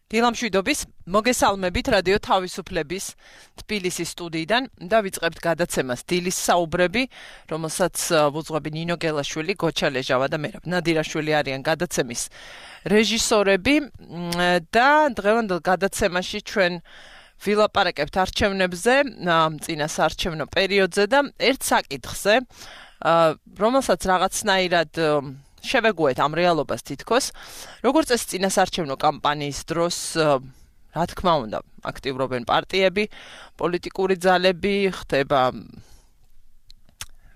დილამშვიდობის, მოგესალმებით რადიო თავისუფლების თბილისის სტუდიიდან და ვიწყებთ გადაცემას დილის საუბრები, რომელსაც ვუძღვები ნინო გელაშვილი, გოჩა ლეჟავა და მერაბ ნადირაშვილი არიან გადაცემის რეჟისორები და დღევანდელ გადაცემაში ჩვენ ვილაპარაკებთ არჩევნებზე, წინა საარჩევნო პერიოდზე და ერთ საკითხზე, რომელსაც რაღაცნაირად შევეგუეთ ამ რეალობას თითქოს, როგორც ეს წინა საარჩევნო კამპანიის დროს, რა თქმა უნდა, აქტიურობენ პარტიები, პოლიტიკური ძალები, ხდება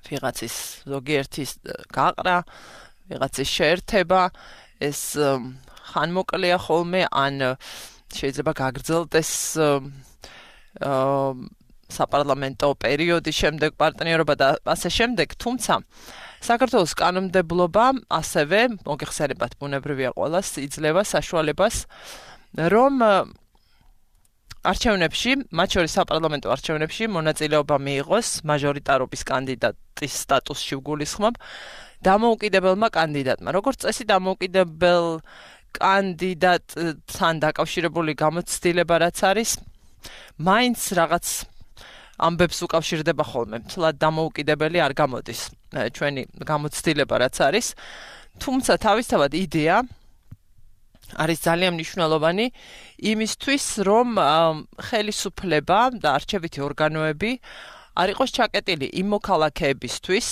ვიღაცის ზოგიერთის გაყრა, ვიღაცის შეერთება, ეს ხანმოკლეა ხოლმე, ან შეიძლება გაგრძელდეს საპარლამენტო პერიოდის შემდეგ პარტნიორობა და ასე შემდეგ, თუმცა საქართველოს კანონმდებლობა ასევე მოგეხსენებათ ბუნებრივია ყველას იძლევა საშუალებას რომ არჩევნებში, მათ შორის საპარლამენტო არჩევნებში მონაწილეობა მიიღოს მაჟორიტარობის კანდიდატის სტატუსში ვგულისხმობ დამოუკიდებელმა კანდიდატმა. როგორც წესი დამოუკიდებელ კანდიდატთან დაკავშირებული გამოცდილება რაც არის, მაინც რაღაც ამბებს უკავშირდება ხოლმე, მთლად დამოუკიდებელი არ გამოდის ჩვენი გამოცდილება რაც არის, თუმცა თავისთავად იდეა არის ძალიან მნიშვნელოვანი იმისთვის, რომ ხელისუფლება და არჩევითი ორგანოები არ იყოს ჩაკეტილი იმ მოქალაქეებისთვის,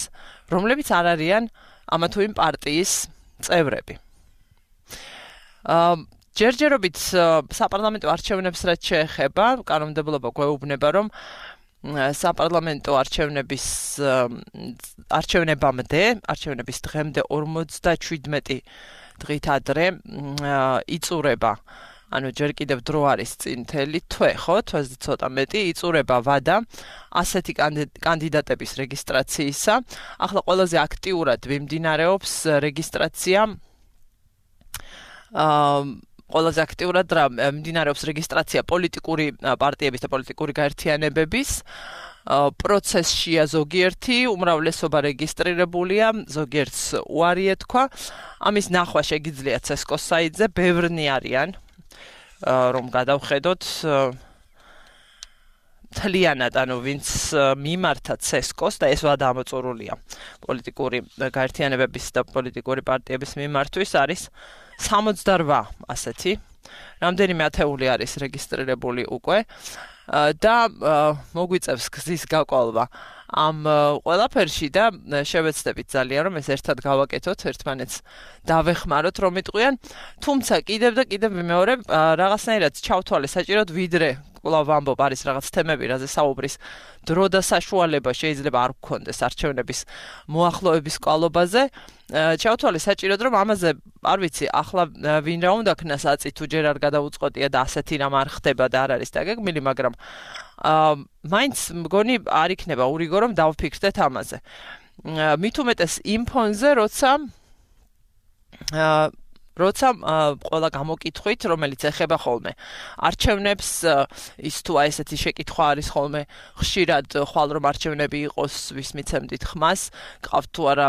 რომლებიც არ არიან ამა თუ იმ პარტიის წევრები. ჯერჯერობით საპარლამენტო არჩევნებს რაც შეეხება, კანონმდებლობა გვეუბნება, რომ საპარლამენტო არჩევნების დღემდე 57 დღით ადრე იწურება, ანუ ჯერ კიდევ დრო არის წინ მთელი თვე, ხო, თვეზე ცოტა მეტი, იწურება ვადა ასეთი კანდიდატების რეგისტრაციისა. ახლა ყველაზე აქტიურად მიმდინარეობს რეგისტრაცია ყველაზე აქტიურად მიმდინარეობს რეგისტრაცია პოლიტიკური პარტიების და პოლიტიკური გაერთიანებების პროცესშია ზოგიერთი, უმრავლესობა რეგისტრირებულია, ზოგიერთს უარი ეთქვა. ამის ნახვა შეგიძლია CESCO-ს საიტზე, ბევრნი არიან, რომ გადავხედოთ მთლიანად, ანუ ვინც მიმართა CESCO-ს და ეს ვადა ამოწურულია პოლიტიკური გაერთიანებების და პოლიტიკური პარტიების მიმართვის არის 68 ასეთი, რამდენიმე ათეული არის რეგისტრირებული უკვე და მოგვიწევს გზის გაკვალვა ამ ყველაფერში და შევეცდებით ძალიან, რომ ეს ერთად გავაკეთოთ, ერთმანეთს დავეხმაროთ, რომ იტყვიან, თუმცა კიდევ და კიდევ მეორე რაღაცნაირად ჩავთვალე საჭიროდ ვიდრე კვლავ ვამბობ, არის რაღაც თემები, რაზე საუბრის დრო და საშუალება შეიძლება არ გქონდეს არჩევნების მოახლოების კვალობაზე. ჩავთვალე საჭიროდ, რომ ამაზე არ ვიცი, ახლა ვინ რა უნდა ქნას აწი თუ ჯერ არ გადაუწყვეტია და ასეთი რამ არ ხდება და არ არის დაგეგმილი, მაგრამ მაინც მგონი არ იქნება ურიგო, რომ დავფიქრდეთ ამაზე. მით უმეტეს იმ ფონზე, როცა ყველა გამოკითხვით, რომელიც ეხება ხოლმე არჩევნებს, ის თუ აი ესეთი შეკითხვა არის ხოლმე ხშირად ხვალ რომ არჩევნები იყოს, ვის მიცემდით ხმას, გყავთ თუ არა,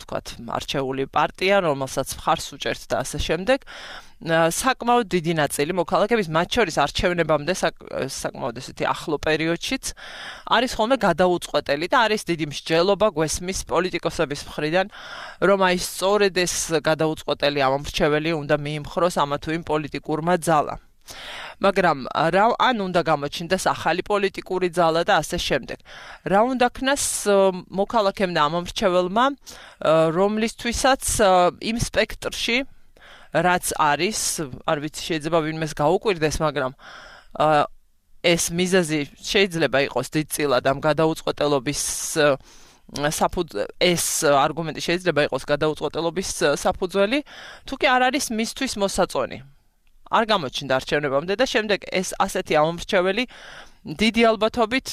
თქვათ, არჩეული პარტია, რომელსაც მხარს უჭერთ და ასე შემდეგ. საკმაოდ დიდი ნაწილი მოქალაქეების, მათ შორის არჩევნებამდე საკმაოდ ესეთი ახლო პერიოდშიც არის ხოლმე გადაუწყვეტელი და არის დიდი მსჯელობა გვესმის პოლიტიკოსების მხრიდან, რომ აი სწორედ ეს გადაუწყვეტელი ამომრჩეველი უნდა მიიმხროს ამა თუ იმ პოლიტიკურმა ძალამ. მაგრამ ან უნდა გამოჩნდეს ახალი პოლიტიკური ძალა და ასე შემდეგ. რა უნდა ქნას მოქალაქემ და ამომრჩეველმა, რომლისთვისაც იმ სპექტრში რაც არის, არ ვიცი, შეიძლება ვინმეს გაუკვირდეს, მაგრამ ეს მიზეზი შეიძლება იყოს დიდწილად ამ გადაუწყვეტელობის ეს არგუმენტი შეიძლება იყოს გადაუწყვეტელობის საფუძველი, თუ კი არ არის მისთვის მოსაწონი. არ გამოჩნდა არჩევნებამდე და შემდეგ ეს ასეთი ამომრჩეველი დიდი ალბათობით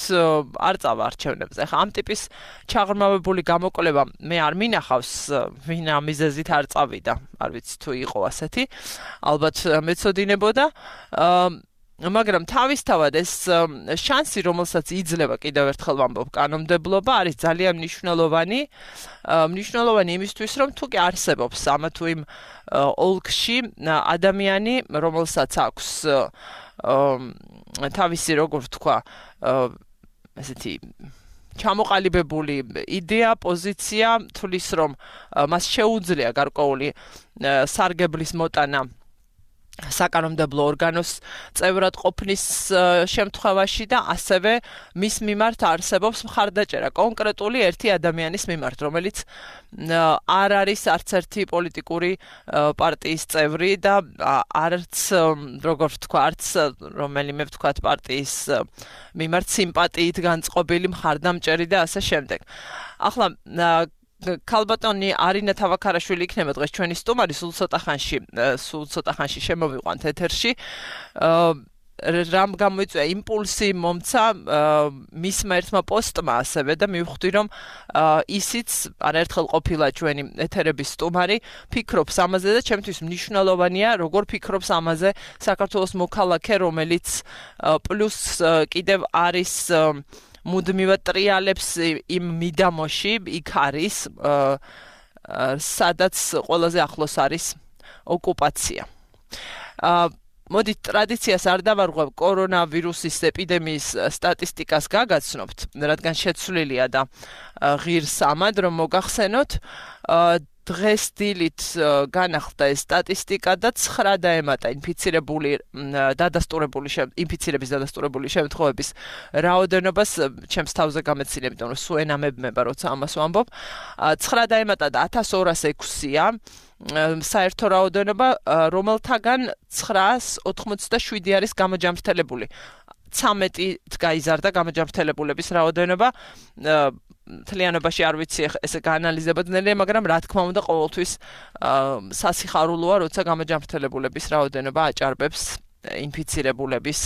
არ წავა არჩევნებზე. ახლა ამ ტიპის ჩაღრმავებული გამოკვლევა მე არ მინახავს, ვინ ამ მიზეზით არ წავიდა. არ ვიცი თუ იყო ასეთი, ალბათ მეცოდინებოდა. მაგრამ თავისთავად ეს შანსი, რომელსაც იძლევა კიდევ ერთხელ ვამბობ კანონმდებლობა, არის ძალიან მნიშვნელოვანი იმისთვის, რომ თუ კი არსებობს ამა თუ იმ ოლქში ადამიანი, რომელსაც აქვს თავისი, როგორ ვთქვა, ესეთი ჩამოყალიბებული იდეა, პოზიცია, თulis რომ მას შეუძლია გარკვეული სარგებლის მოტანა საკანონმდებლო ორგანოს წევრად ყოფნის შემთხვევაში და ასევე მის მიმართ არსებობს მხარდაჭერა კონკრეტული ერთი ადამიანის მიმართ, რომელიც არ არის არც ერთი პოლიტიკური პარტიის წევრი და არც როგორ ვთქვა, არც რომელიმე ვთქვათ პარტიის მიმართ სიმპათიით განწყობილი მხარდამჭერი და ასე შემდეგ. ახლა ქალბატონი არინა თავაქარაშვილი იქნება დღეს ჩვენი სტუმარი, სულ ცოტა ხანში შემოვიყვანთ ეთერში. რამ გამოიწვია იმპულსი მომცა მისმა ერთმა პოსტმა ასევე და მივხვდი რომ ისიც არაერთხელ ყოფილა ჩვენი ეთერების სტუმარი, ფიქრობს ამაზე და ჩემთვის მნიშვნელოვანია როგორ ფიქრობს ამაზე საქართველოს მოქალაქე, რომელიც პლუს კიდევ არის მუდმივად ტრიალებს იმ მიდამოში, იქ არის სადაც ყველაზე ახლოს არის ოკუპაცია. მოდით ტრადიციას არ დავარღვევ კორონავირუსის ეპიდემიის სტატისტიკას გაგაცნობთ, რადგან შეცვლილია და ღირსამად რომ მოგახსენოთ, დღეს დილით განახლდა ეს სტატისტიკა და 9 დაემატა ინფიცირების დადასტურებული შემთხვევების რაოდენობას, ჩემს თავზე გამეცილი, იმიტომ რომ სულ ენამებმება, როცა ამას ვამბობ. 9 დაემატა და 1206-ია საერთო რაოდენობა, რომელთაგან 987 არის გამოჯამრთელებული. 13-ით გაიზარდა გამოჯამრთელებულების რაოდენობა. თლიანობაში არ ვიცი ესე გაანალიზება ძნელია, მაგრამ რა თქმა უნდა ყოველთვის სასიხარულოა, როცა გამოჯამრთელებულების რაოდენობა აჭარბებს ინფიცირებულების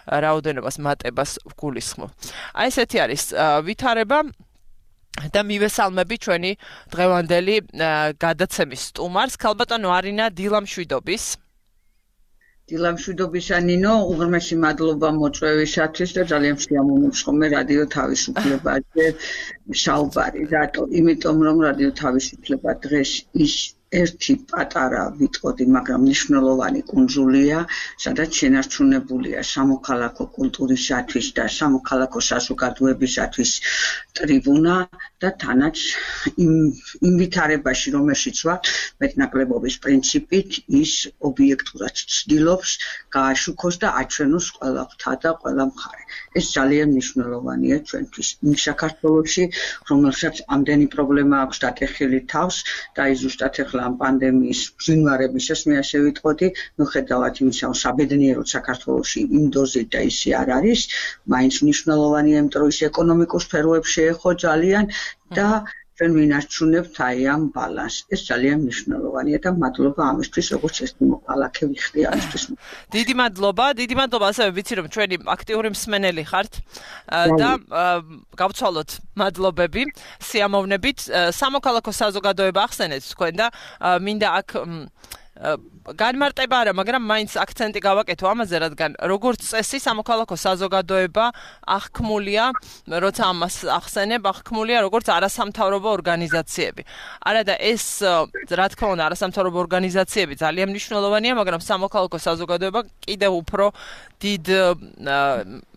რაოდენობას მატებას გულისხმობ. აი ესეთი არის ვითარება და მივესალმები ჩვენი დღევანდელი გადაცემის სტუმარს, ქალბატონო არინა დილამშვიდობის. დილამშვიდობისა ნინო, უღრმესი მადლობა მოწვევისათვის და ძალიან შეამოვნებს ხოლმე რადიო თავისუფლებაზე საუბარი. რატო? იმიტომ რომ რადიო თავისუფლება დღეს ის ერთი პატარა ვიტყოდი, მაგრამ მნიშვნელოვანი კუნძულია, სადაც შენარჩუნებულია სამოქალაქო კულტურისათვის და სამოქალაქო საზოგადოებისათვის ტრიბუნა და თანაც იმ ვითარებაში, რომელშიც ვარ, მეტნაკლებობის პრინციპით ის ობიექტურად ცდილობს გააშუქოს და აჩვენოს ყველა ღთა და ყველა მხარე. ეს ძალიან მნიშვნელოვანია ჩვენთვის. იმ საქართველოში, რომელსაც ამდენი პრობლემა აქვს დაკეხილი თავს და ის ზუსტად ამ პანდემიის ბრძნარებისას მე ასე ვიტყოდი, მიუხედავად იმისა, რომ საბედნიეროდ საქართველოში იმ დოზით და ისე არ არის, მაინც მნიშვნელოვანია, იმიტომ რომ ის ეკონომიკურ სფეროებს შეეხო ძალიან და ჩვენ ვინარჩუნებთ აი ამ ბალანსს. ეს ძალიან მნიშვნელოვანია და მადლობა ამისთვის, როგორც ერთი მოქალაქე ვიხდი ამისთვის. დიდი მადლობა, ასევე ვიცი რომ ჩვენი აქტიური მსმენელი ხართ და გავცვალოთ მადლობები, სიამოვნებით. სამოქალაქო საზოგადოება ახსენეთ თქვენ და მინდა აქ განმარტება არა, მაგრამ მაინც აქცენტი გავაკეთო ამაზე, რადგან როგორც წესი სამოქალაქო საზოგადოება აღქმულია, როცა ამას ახსენებ, აღქმულია როგორც არასამთავრობო ორგანიზაციები. არა და ეს, რა თქმა უნდა, არასამთავრობო ორგანიზაციები ძალიან მნიშვნელოვანია, მაგრამ სამოქალაქო საზოგადოება კიდევ უფრო დიდ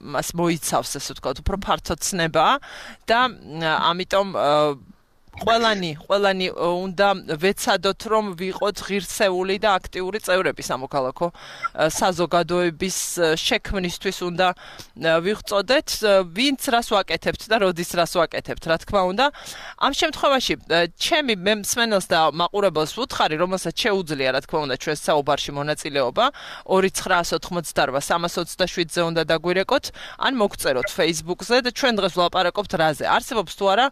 მას მოიცავს, ასე ვთქვათ, უფრო ფართო ცნებაა და ამიტომ ყველანი უნდა ვეცადოთ, რომ ვიყოთ ღირსეული და აქტიური წევრები სამოქალაქო საზოგადოების შექმნისთვის უნდა ვიღწოდეთ, ვინც რას ვაკეთებთ და როდის რას ვაკეთებთ, რა თქმა უნდა. ამ შემთხვევაში ჩემი მსმენელს და მაყურებელს ვუთხარი, რომელსაც შეუძლია, რა თქმა უნდა, ჩვენს საუბარში მონაწილეობა 2908327-ზე უნდა დაგვირეკოთ, ან მოგწეროთ Facebook-ზე და ჩვენ დღეს ვლაპარაკობთ რაზე. არსებობს თუ არა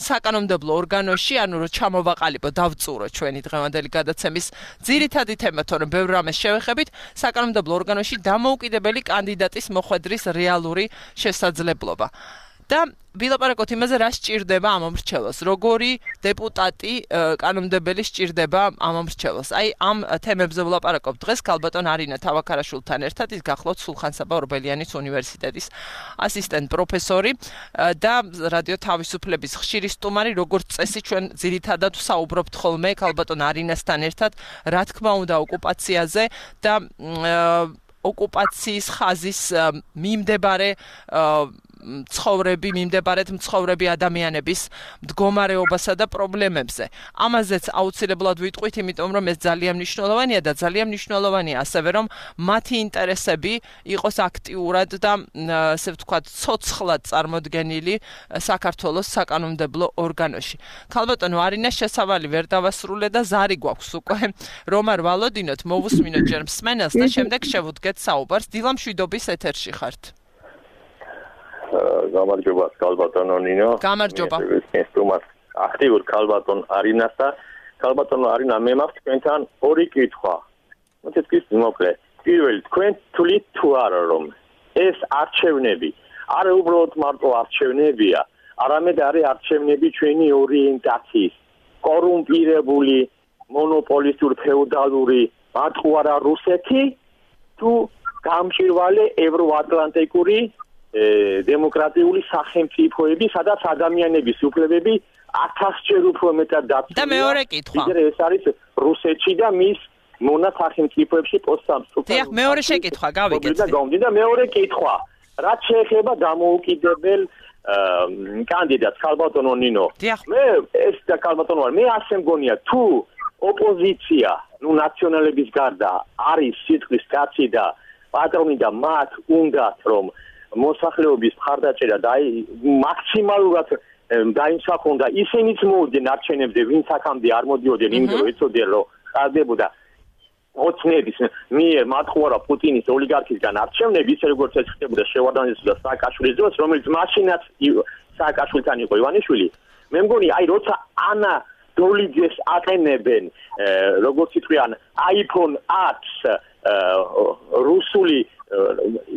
საკანონმდებლო ორგანოში, ანუ რომ ჩამოვაყალიბო, დავწურო ჩვენი დღევანდელი გადაცემის ძირითადი თემა, თორემ ბევრ რამეს შევეხებით, საკანონმდებლო ორგანოში დამოუკიდებელი კანდიდატის მოხვედრის რეალური შესაძლებლობა. და ვილაპარაკოთ იმაზე, რა სჭირდება ამ მრჩეველს, როგორი დეპუტატი კანონმდებელი სჭირდება ამ მრჩეველს. აი ამ თემებზე ვილაპარაკობ დღეს ქალბატონ არინა თავაქარაშვილთან ერთად, ის გახლავთ სულხან-საბა ორბელიანის უნივერსიტეტის ასისტენტ პროფესორი და რადიო თავისუფლების ხშირი სტუმარი, როგორც წესი ჩვენ ძირითადად საუბრობთ ხოლმე ქალბატონ არინასთან ერთად, რა თქმა უნდა ოკუპაციაზე და ოკუპაციის ხაზის მიმდებარე მცხოვრები ადამიანების მდგომარეობასა და პრობლემებზე. ამაზეც აუცილებლად ვიტყვით, იმიტომ რომ ეს ძალიან მნიშვნელოვანია და ძალიან მნიშვნელოვანია ასევე რომ მათი ინტერესები იყოს აქტიურად და ასე ვთქვათ, ცოცხლად წარმოდგენილი საქართველოს საკანონმდებლო ორგანოში. ქალბატონო არინას შესავალი ვერ დავასრულე და ზარი გვაქვს უკვე რომ არ ვალოდინოთ, მოვუსმინოთ ჯერ მსმენელს და შემდეგ შევუდგეთ საუბარს. დილა მშვიდობის ეთერში ხართ. გამარჯობა ქალბატონო ნინო. გამარჯობა. სტუმარს აქტიურ ქალბატონ არინას და ქალბატონო არინა მე მაქვს თქვენთან ორი კითხვა. მოცეთ მოკლე. პირველი თქვენ თვლით თუ არა რომ ეს არჩევნები არა უბრალოდ მარტო არჩევნებია, არამედ არის არჩევნები ჩვენი ორიენტაციის, კორუმპირებული, მონოპოლისტური ფეოდალური მარტო არა რუსეთი თუ გამჭირვალე ევროატლანტიკური დემოკრატიული სახელმწიფოები, სადაც ადამიანების უფლებები 1000-ჯერ უფრო მეტად დაცულია. და მეორე კითხვა. ეს არის რუსეთში და მის მონა სახელმწიფოებში პოსტსამსტიფო. დიახ, მეორე შეკითხვა გავიგეთ. და მეორე კითხვა. რაც შეეხება დამოუკიდებელ კანდიდატს ქალბატონო ნინო. მე ეს და ქალბატონო მე ასე მგონია თუ ოპოზიცია, ნაციონალების გარდა არის სიტყვის კაცი და პატრონი და მათ უნდათ რომ მოსახლეობის მხარდაჭერა და მაქსიმალურად დაიმსახონ და ისინიც მოვიდნენ არჩევნებზე, ვინც აქამდე არ მოდიოდნენ, იმიტომ რომ ეცოდნენ რომ ხარდებოდა ოცნების მიერ მათყუარა პუტინის ოლიგარქისგან არჩევნები, ისე როგორც ეს ხდებოდა შევარდანიძის და სააკაშვილის დროს, რომელიც მაშინაც სააკაშვილთან იყო ივანიშვილი. მე მგონი, როცა ანა დოლიძეს აყენებენ, როგორც იტყვიან, iPhone 10 რუსული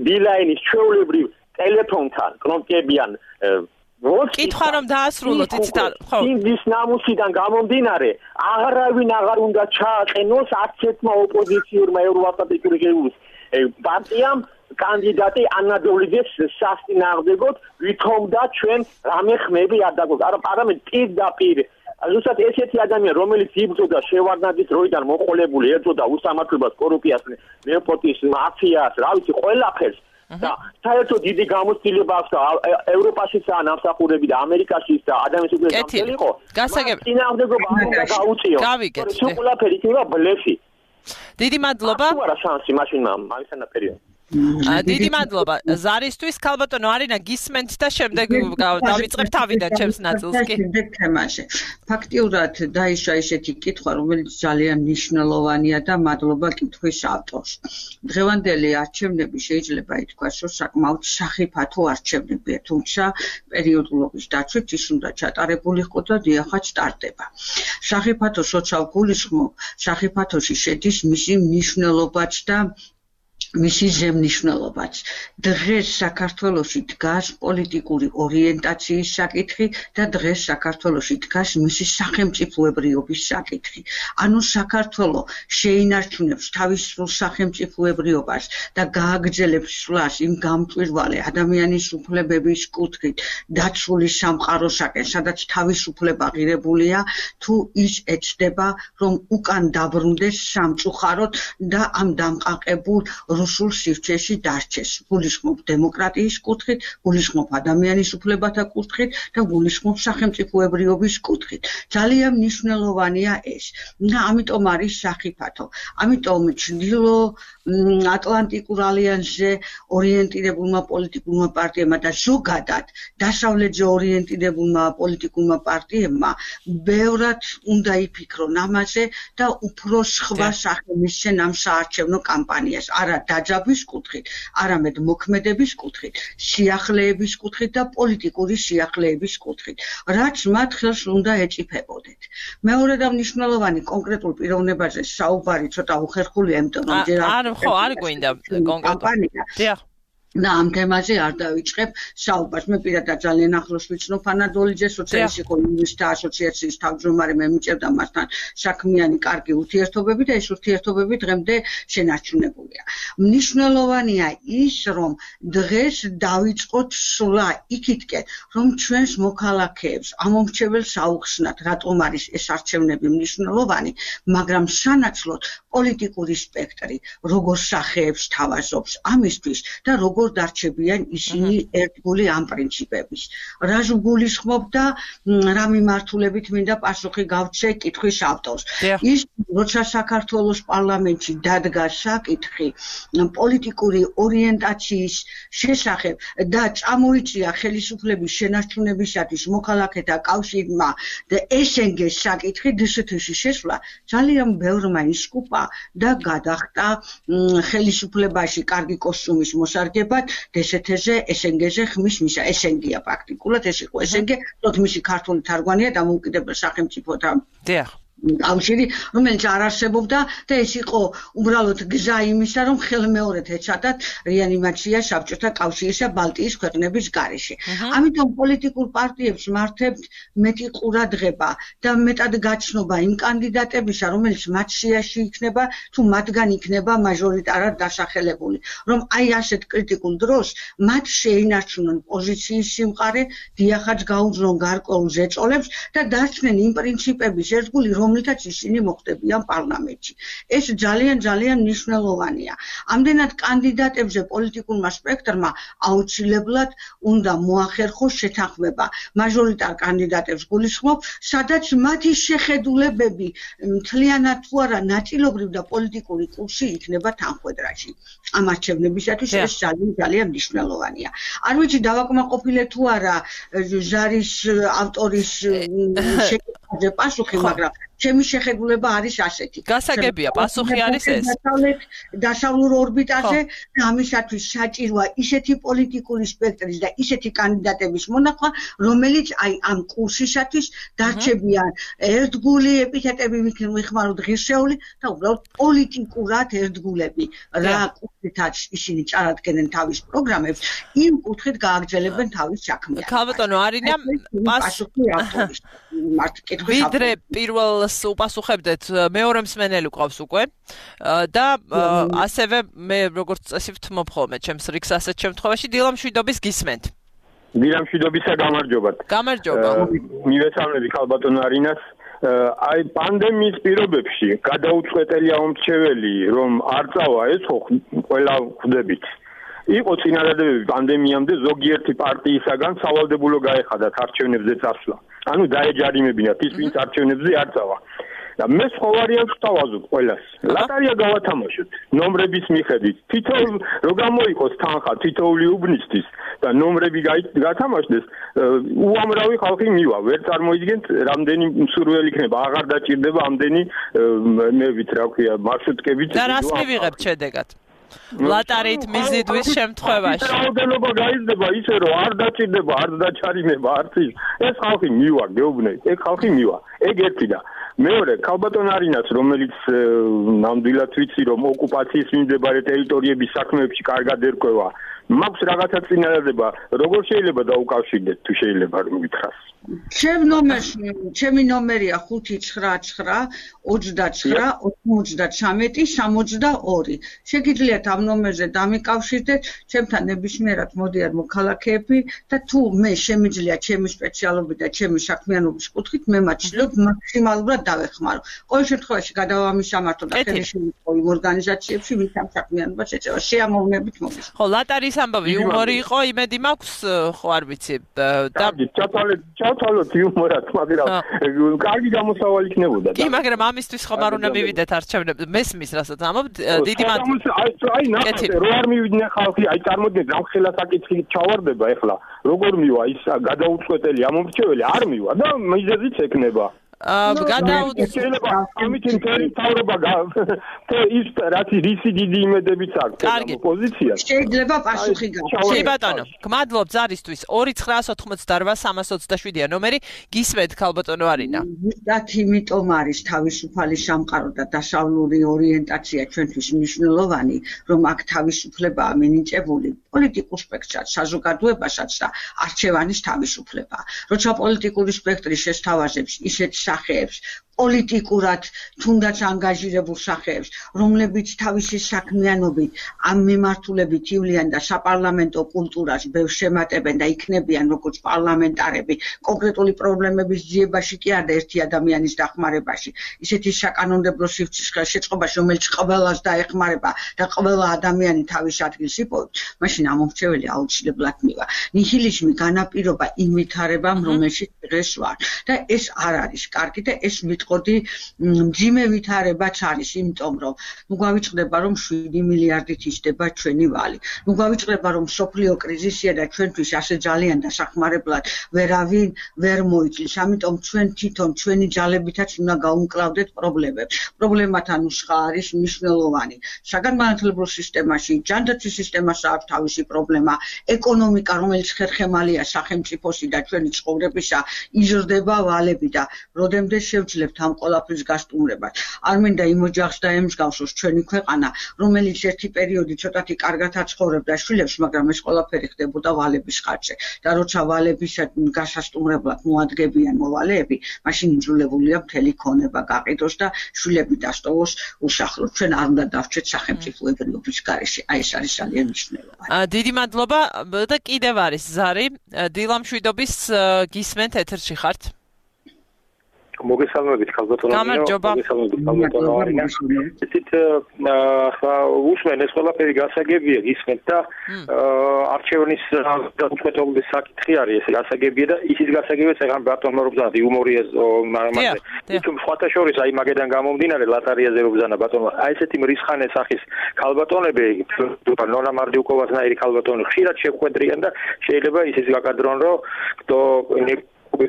ბილაინის ჩვეულებრივ ტელეფონთან კნოპკებიან კითხვა რომ დაასრულოთ, იცით ხო ის ნამუსიდან გამომდინარე აღარავინ აღარ უნდა ჩააყენოს არც ერთმა ოპოზიციურმა ევროატლანტიკური პარტიამ კანდიდატი ანა დოლიძეს სასწინააღმდეგოდ ვითომდა ჩვენ რამე ხმები არ დაგვაქვს, არამედ პირდაპირ ზუსტად ესეთი ადამიანი, რომელიც იბრძოდა შევარდნაძის დროიდან მოყოლებული, ეძოდა უსამართლობას, კორუფციას, ნეპოტიზმს, მაფიას, რა ვიცი, ყველაფერს და საერთოდ დიდი გამოცდილება აქვს და ევროპაშიცაა ნამსახურები და ამერიკაშიც და ადამიანის უფლებების გამცდელი იყო. წინააღმდეგობა არ უნდა გაუწიოს. გავიგეთ. ყველაფერი იქნება ბლეფი. დიდი მადლობა. არა შანსი მაშინ მისანაპირე. დიდი მადლობა. ზარისთვის ქალბატონო არინა გისმენთ და შემდეგ დავიწყებ თავიდან ჩემს ნაწილს კი. შემდეგ თემაში. ფაქტიურად დაიშვა ესეთი კითხვა, რომელიც ძალიან მნიშვნელოვანია და მადლობა კითხვის ავტორს. დღევანდელი არჩევნები შეიძლება ითქვას, რომ საკმაოდ სახიფათო არჩევნებია, თუმცა პერიოდულობის დაცვით ის უნდა ჩატარებულიყო და დიახაც ტარდება. სახიფათო სოციალ გულისხმობ, სახიფათოში შედის მისი მნიშვნელობაც და მისი ზემნიშნულობაც. დღეს საქართველოში დგას პოლიტიკური ორიენტაციის საკითხი და დღეს საქართველოში დგას მისი სახელმწიფოებრიობის საკითხი. ანუ საქართველო შეინარჩუნებს თავის სრულ სახელმწიფოებრიობას და გააგრძელებს სვლას იმ გამჭვირვალე ადამიანის უფლებების კუთხით დაცული სამყაროსაკენ, სადაც თავისუფლება ღირებულია, თუ ის ეცდება, რომ უკან დაბრუნდეს სამწუხაროდ და ამ დამყაყებულ რუსულ სივრცეში დარჩეს. გულისხმობ დემოკრატიის კუთხით, გულისხმობ ადამიანის უფლებათა კუთხით და გულისხმობ სახელმწიფოებრიობის კუთხით. ძალიან მნიშვნელოვანია ეს. და ამიტომ არის სახიფათო. ამიტომ ჩრდილო ატლანტიკურ ალიანსზე ორიენტირებულმა პოლიტიკურმა პარტიებმა და ზოგადად დასავლეთზე ორიენტირებულმა პოლიტიკურმა პარტიებმა ბევრად უნდა იფიქრონ ამაზე და უფრო სხვა სახე მისცენ ამ საარჩევნო კამპანიას. არა დაჯაბვის კუთხით, არამედ მოქმედების კუთხით, სიახლეების კუთხით და პოლიტიკური სიახლეების კუთხით, რაც მათ ხელს უნდა ეწიფებოდეთ. მეორე და მნიშვნელოვანი კონკრეტულ პიროვნებაზე საუბარი ცოტა უხერხულია, იმიტომ რომ არ გვინდა კონკრეტული. და ამ თემაზე არ დავიწყებ საუბარს. მე პირადად ძალიან ახლოს ვიცნობ ფანადოლიძეს, როცა ის იყო იურისტთა ასოციაციის თავმჯდომარე, მე მიჭერდა მასთან საქმიანი კარგი ურთიერთობები და ეს ურთიერთობები დღემდე შენარჩუნებულია. მნიშვნელოვანია ის, რომ დღეს დავიწყოთ სულა იქითკენ, რომ ჩვენს მოქალაქეებს ამომრჩეველს აუხსნათ, რატომ არის ეს არჩევნები მნიშვნელოვანი, მაგრამ სანაცვლოდ პოლიტიკური სპექტრი როგორ სახეებს თავაზობს ამისთვის და როგორ დარჩებიან ისინი ერთგული ამ პრინციპების. რა გულისხმობ და რა მიმართულებით მინდა პასუხი გავცე კითხვის ავტორს. ის როცა საქართველოს პარლამენტში დადგა საკითხი პოლიტიკური ორიენტაციის შესახებ და წამოიწია ხელისუფლების შენარჩუნებისათვის მოქალაქეთა კავშირმა და SNG-ს საკითხი დსთ-ში შესვლა ძალიან ბევრმა ისკუპა და გადახტა ხელისუფლებაში კარგი კოსტუმის მოსარგება DST-ზე, SNG-ზე ხმის მისა, SNG-ია პრაქტიკულად, ეს იყო SNG, თოთ მისი ქართული თარგმანია დამოუკიდებელ სახელმწიფოთა კავშირი, რომელიც არ არსებობდა და ეს იყო უბრალოდ გზა იმისა, რომ ხელმეორედ ეცადათ რეანიმაცია საბჭოთა კავშირისა ბალტიის ქვეყნების გარეშე. ამიტომ პოლიტიკურ პარტიებს მართებთ მეტი ყურადღება და მეტად გაჩნობა იმ კანდიდატებისა, რომელიც მათ სიაში იქნება, თუ მათგან იქნება მაჟორიტარად დასახელებული, რომ აი ასეთ კრიტიკულ დროს მათ შეინარჩუნონ პოზიციის სიმყარე, დიახაც გაუძლონ გარკვეულ ზეწოლებს და დარჩნენ იმ პრინციპების ერთგული, რომლითაც ისინი მოხდებიან პარლამენტში. ეს ძალიან მნიშვნელოვანია. ამდენად კანდიდატებზე პოლიტიკურმა სპექტრმა აუცილებლად უნდა მოახერხოს შეთანხმება. მაჟორიტარ კანდიდატებს გულისხმობ, სადაც მათი შეხედულებები მთლიანად თუ არა ნაწილობრივ და პოლიტიკური კურსი იქნება თანხვედრაში. ამ არჩევნებისათვის ეს ძალიან მნიშვნელოვანია. არ ვიცი დავაკმაყოფილე თუ არა ჟარის ავტორის შეკითხვაზე პასუხი, მაგრამ ჩემი შეხედულება არის ასეთი. გასაგებია, პასუხი არის ეს. დასავლურ ორბიტაზე და ამისათვის საჭიროა ისეთი პოლიტიკური სპექტრის და ისეთი კანდიდატების მონახვა, რომელიც აი ამ კურსისათვის დარჩებიან ერთგული ეპითეტები მიხმაროთ ღირსეული და უბრალოდ პოლიტიკურად ერთგულები. რა კუთხითაც ისინი წარადგენენ თავის პროგრამებს, იმ კუთხით გააგრძელებენ თავის საქმიანობას. ქალბატონო არინა, პასუხი ავტორის ვიდრე პირველ უპასუხებდეთ, მეორე მსმენელი გვყავს უკვე და ასევე მე როგორც წესი ვთმობ ხოლმე ჩემს რიგს ასეთ შემთხვევაში დილამშვიდობის გისმენთ. დილამშვიდობისა გამარჯობათ. გამარჯობა. მივესალმები ქალბატონ არინას. აი პანდემიის პირობებში გადაუწყვეტელია მომრჩეველი, რომ არ წავა ეს ხო ყველა ხვდებით. იყო წინადადებები პანდემიამდე ზოგიერთი პარტიისაგან სავალდებულო გაეხადათ არჩევნებზე წასვლა. ანუ დაეჯარიმებინათ ის, ვინც არჩევნებზე არ წავა. და მე სხვა ვარიანტს ვთავაზობ ყველას. ლატარია გავათამაშოთ ნომრების მიხედვით. თითოეულ რო გამოიყოს თანხა თითოეული უბნისთვის და ნომრები გათამაშდეს, უამრავი ხალხი მივა. ვერ წარმოიდგენთ, რამდენი მსურველი იქნება, აღარ დაჭირდება ამდენი მე ვით რა ქვია, მარშრუტკებით. და რას მივიღებთ შედეგად? ლატარიით მიზიდვის შემთხვევაში. რაოდენობა გაიზრდება ისე რომ არ დაჭირდება, არ დაჩარიმება არც ის. ეს ხალხი მივა, გეუბნებით. ეგ ხალხი მივა. ეგ ერთი და მეორე ქალბატონ არინას, რომელიც ნამდვილად ვიცი რომ ოკუპაციის მიმდებარე ტერიტორიების საქმეებში კარგად ერკვევა, მაქვს რაღაცა წინადადება, როგორ შეიძლება დაუკავშირდეთ თუ შეიძლება რომ გითხრას. ჩემი ნომერია 599 29 93 62. შეგიძლიათ ამ ნომერზე დამიკავშირდეთ, ჩემთან ნებისმიერად მოდიან მოქალაქეები და თუ მე შემიძლია ჩემი სპეციალობით და ჩემი საქმიანობის კუთხით, მე მათ ვცდილობ მაქსიმალურად დავეხმარო. ყოველ შემთხვევაში გადავამისამართო და ხელშემწყო იმ ორგანიზაციებში, ვინც ამ საქმიანობას ეწევა. შეამოვნებით მოგის. ხო, ლატარის ამბავი იუმორი იყო, იმედი მაქვს, ხო არ ვიცი. და ჩავთვალოთ იუმორად, მაგრამ კარგი გამოსავალი იქნებოდა. კი, მაგრამ ამისთვის ხომ არ უნდა მივიდეთ არჩევნებზე. მესმის, რასაც ამობთ, დიდი მადლობა. აი ნახეთ, რო არ მივიდნენ ხალხი, აი წარმოგიდგენთ, ამ ხელა საკითხი ჩავარდება ეხლა. როგორ მივა ის გადაუწყვეტელი ამომრჩეველი არ მივა და მიზეზიც ექნება. ამით ინტერესი თავრობა ის რაც რისი დიდი იმედებით აქვს ოპოზიცია შეიძლება პასუხი გასცეს. ბატონო, გმადლობ ზარისთვის 2988327-ია ნომერი. გისმენთ ქალბატონო არინა. ზუსტად იმიტომ არის თავისუფალი სამყარო და დასავლური ორიენტაცია ჩვენთვის მნიშვნელოვანი, რომ აქ თავისუფლებაა მინიჭებული პოლიტიკურ სპექტრსაც, საზოგადოებასაც და არჩევანის თავისუფლება. როცა პოლიტიკური სპექტრი შესთავაზებს ისეთ სახეებს, პოლიტიკურად თუნდაც ანგაჟირებულ სახეებს, რომლებიც თავისი საქმიანობით ამ მიმართულებით ივლიან და საპარლამენტო კულტურას ბევრს შემატებენ და იქნებიან როგორც პარლამენტარები კონკრეტული პრობლემების ძიებაში კი არა ერთი ადამიანის დახმარებაში, ისეთი საკანონმდებლო შეწყობაში, რომელიც ყველას დაეხმარება და ყველა ადამიანი თავის ადგილს იპოვებს, მაშინ ამომრჩეველი აუცილებლად მივა. ნიჰილიზმი განაპირობა იმ ვითარებამ, რომელშიც დღეს ვარ და ეს არ არის კარგი და ეს ვიტყოდი მძიმე ვითარებაც არის, იმიტომ რომ გვავიწყდება რომ 7 მილიარდით ისდება ჩვენი ვალი. გვავიწყდება რომ სოფლიო კრიზისია და ჩვენთვის ასე ძალიან დასახმარებლად ვერავინ ვერ მოიწლის. ამიტომ ჩვენ თვითონ ჩვენი ძალებითაც უნდა გავუმკლავდეთ პრობლემებს. პრობლემათან უშხა არის მნიშვნელოვანი. საგანმანათლებლო სისტემაში, ჯანდაცვის სისტემაში აქვს თავისი პრობლემა, ეკონომიკა, რომელიც ხერხემალია სახელმწიფოსი და ჩვენი ცხოვრებისა, იზრდება ვალები და როდემდე შევძლებთ ამ ყველაფრის გასტუმრებას. არ მინდა იმ ოჯახს დაემსგავსოს ჩვენი ქვეყანა, რომელიც ერთი პერიოდი ცოტათი კარგად აცხოვრებდა შვილებს, მაგრამ ეს ყველაფერი ხდებოდა ვალების ხარჯზე. და როცა ვალების გასასტუმრებლად მოადგებიან მოვალეები, მაშინ იძულებულია მთელი ქონება გაყიდოს და შვილები დასტოვოს უსახლოდ. ჩვენ არ უნდა დავჭრეთ სახელმწიფოებრიობის გარეშე. აი ეს არის ძალიან მნიშვნელოვანი. დიდი მადლობა და კიდევ არის ზარი დილამშვიდობის გისმენთ ეთერში ხართ. მოგესალმებით ქალბატონო. მოგესალმებით ქალბატონო არინა. ისეთ უსმენ ეს ყველაფერი გასაგებია გისმენთ და არჩევნის დამოუკიდებლობის საკითხი არის ეს გასაგებია და ისიც გასაგებია ცეღან ბატონმა რო ბზანა იუმორია მაგრამ თუმცა სხვათა შორის აი მაგედან გამომდინარე ლატარიაზე რო ბზანა ბატონმა აი ესეთი მრისხანე სახის ქალბატონები ნონა მარდიუკოვასნაირი ქალბატონი ხშირად შეხვედრიან და შეიძლება ისიც გაკადრონ რომ то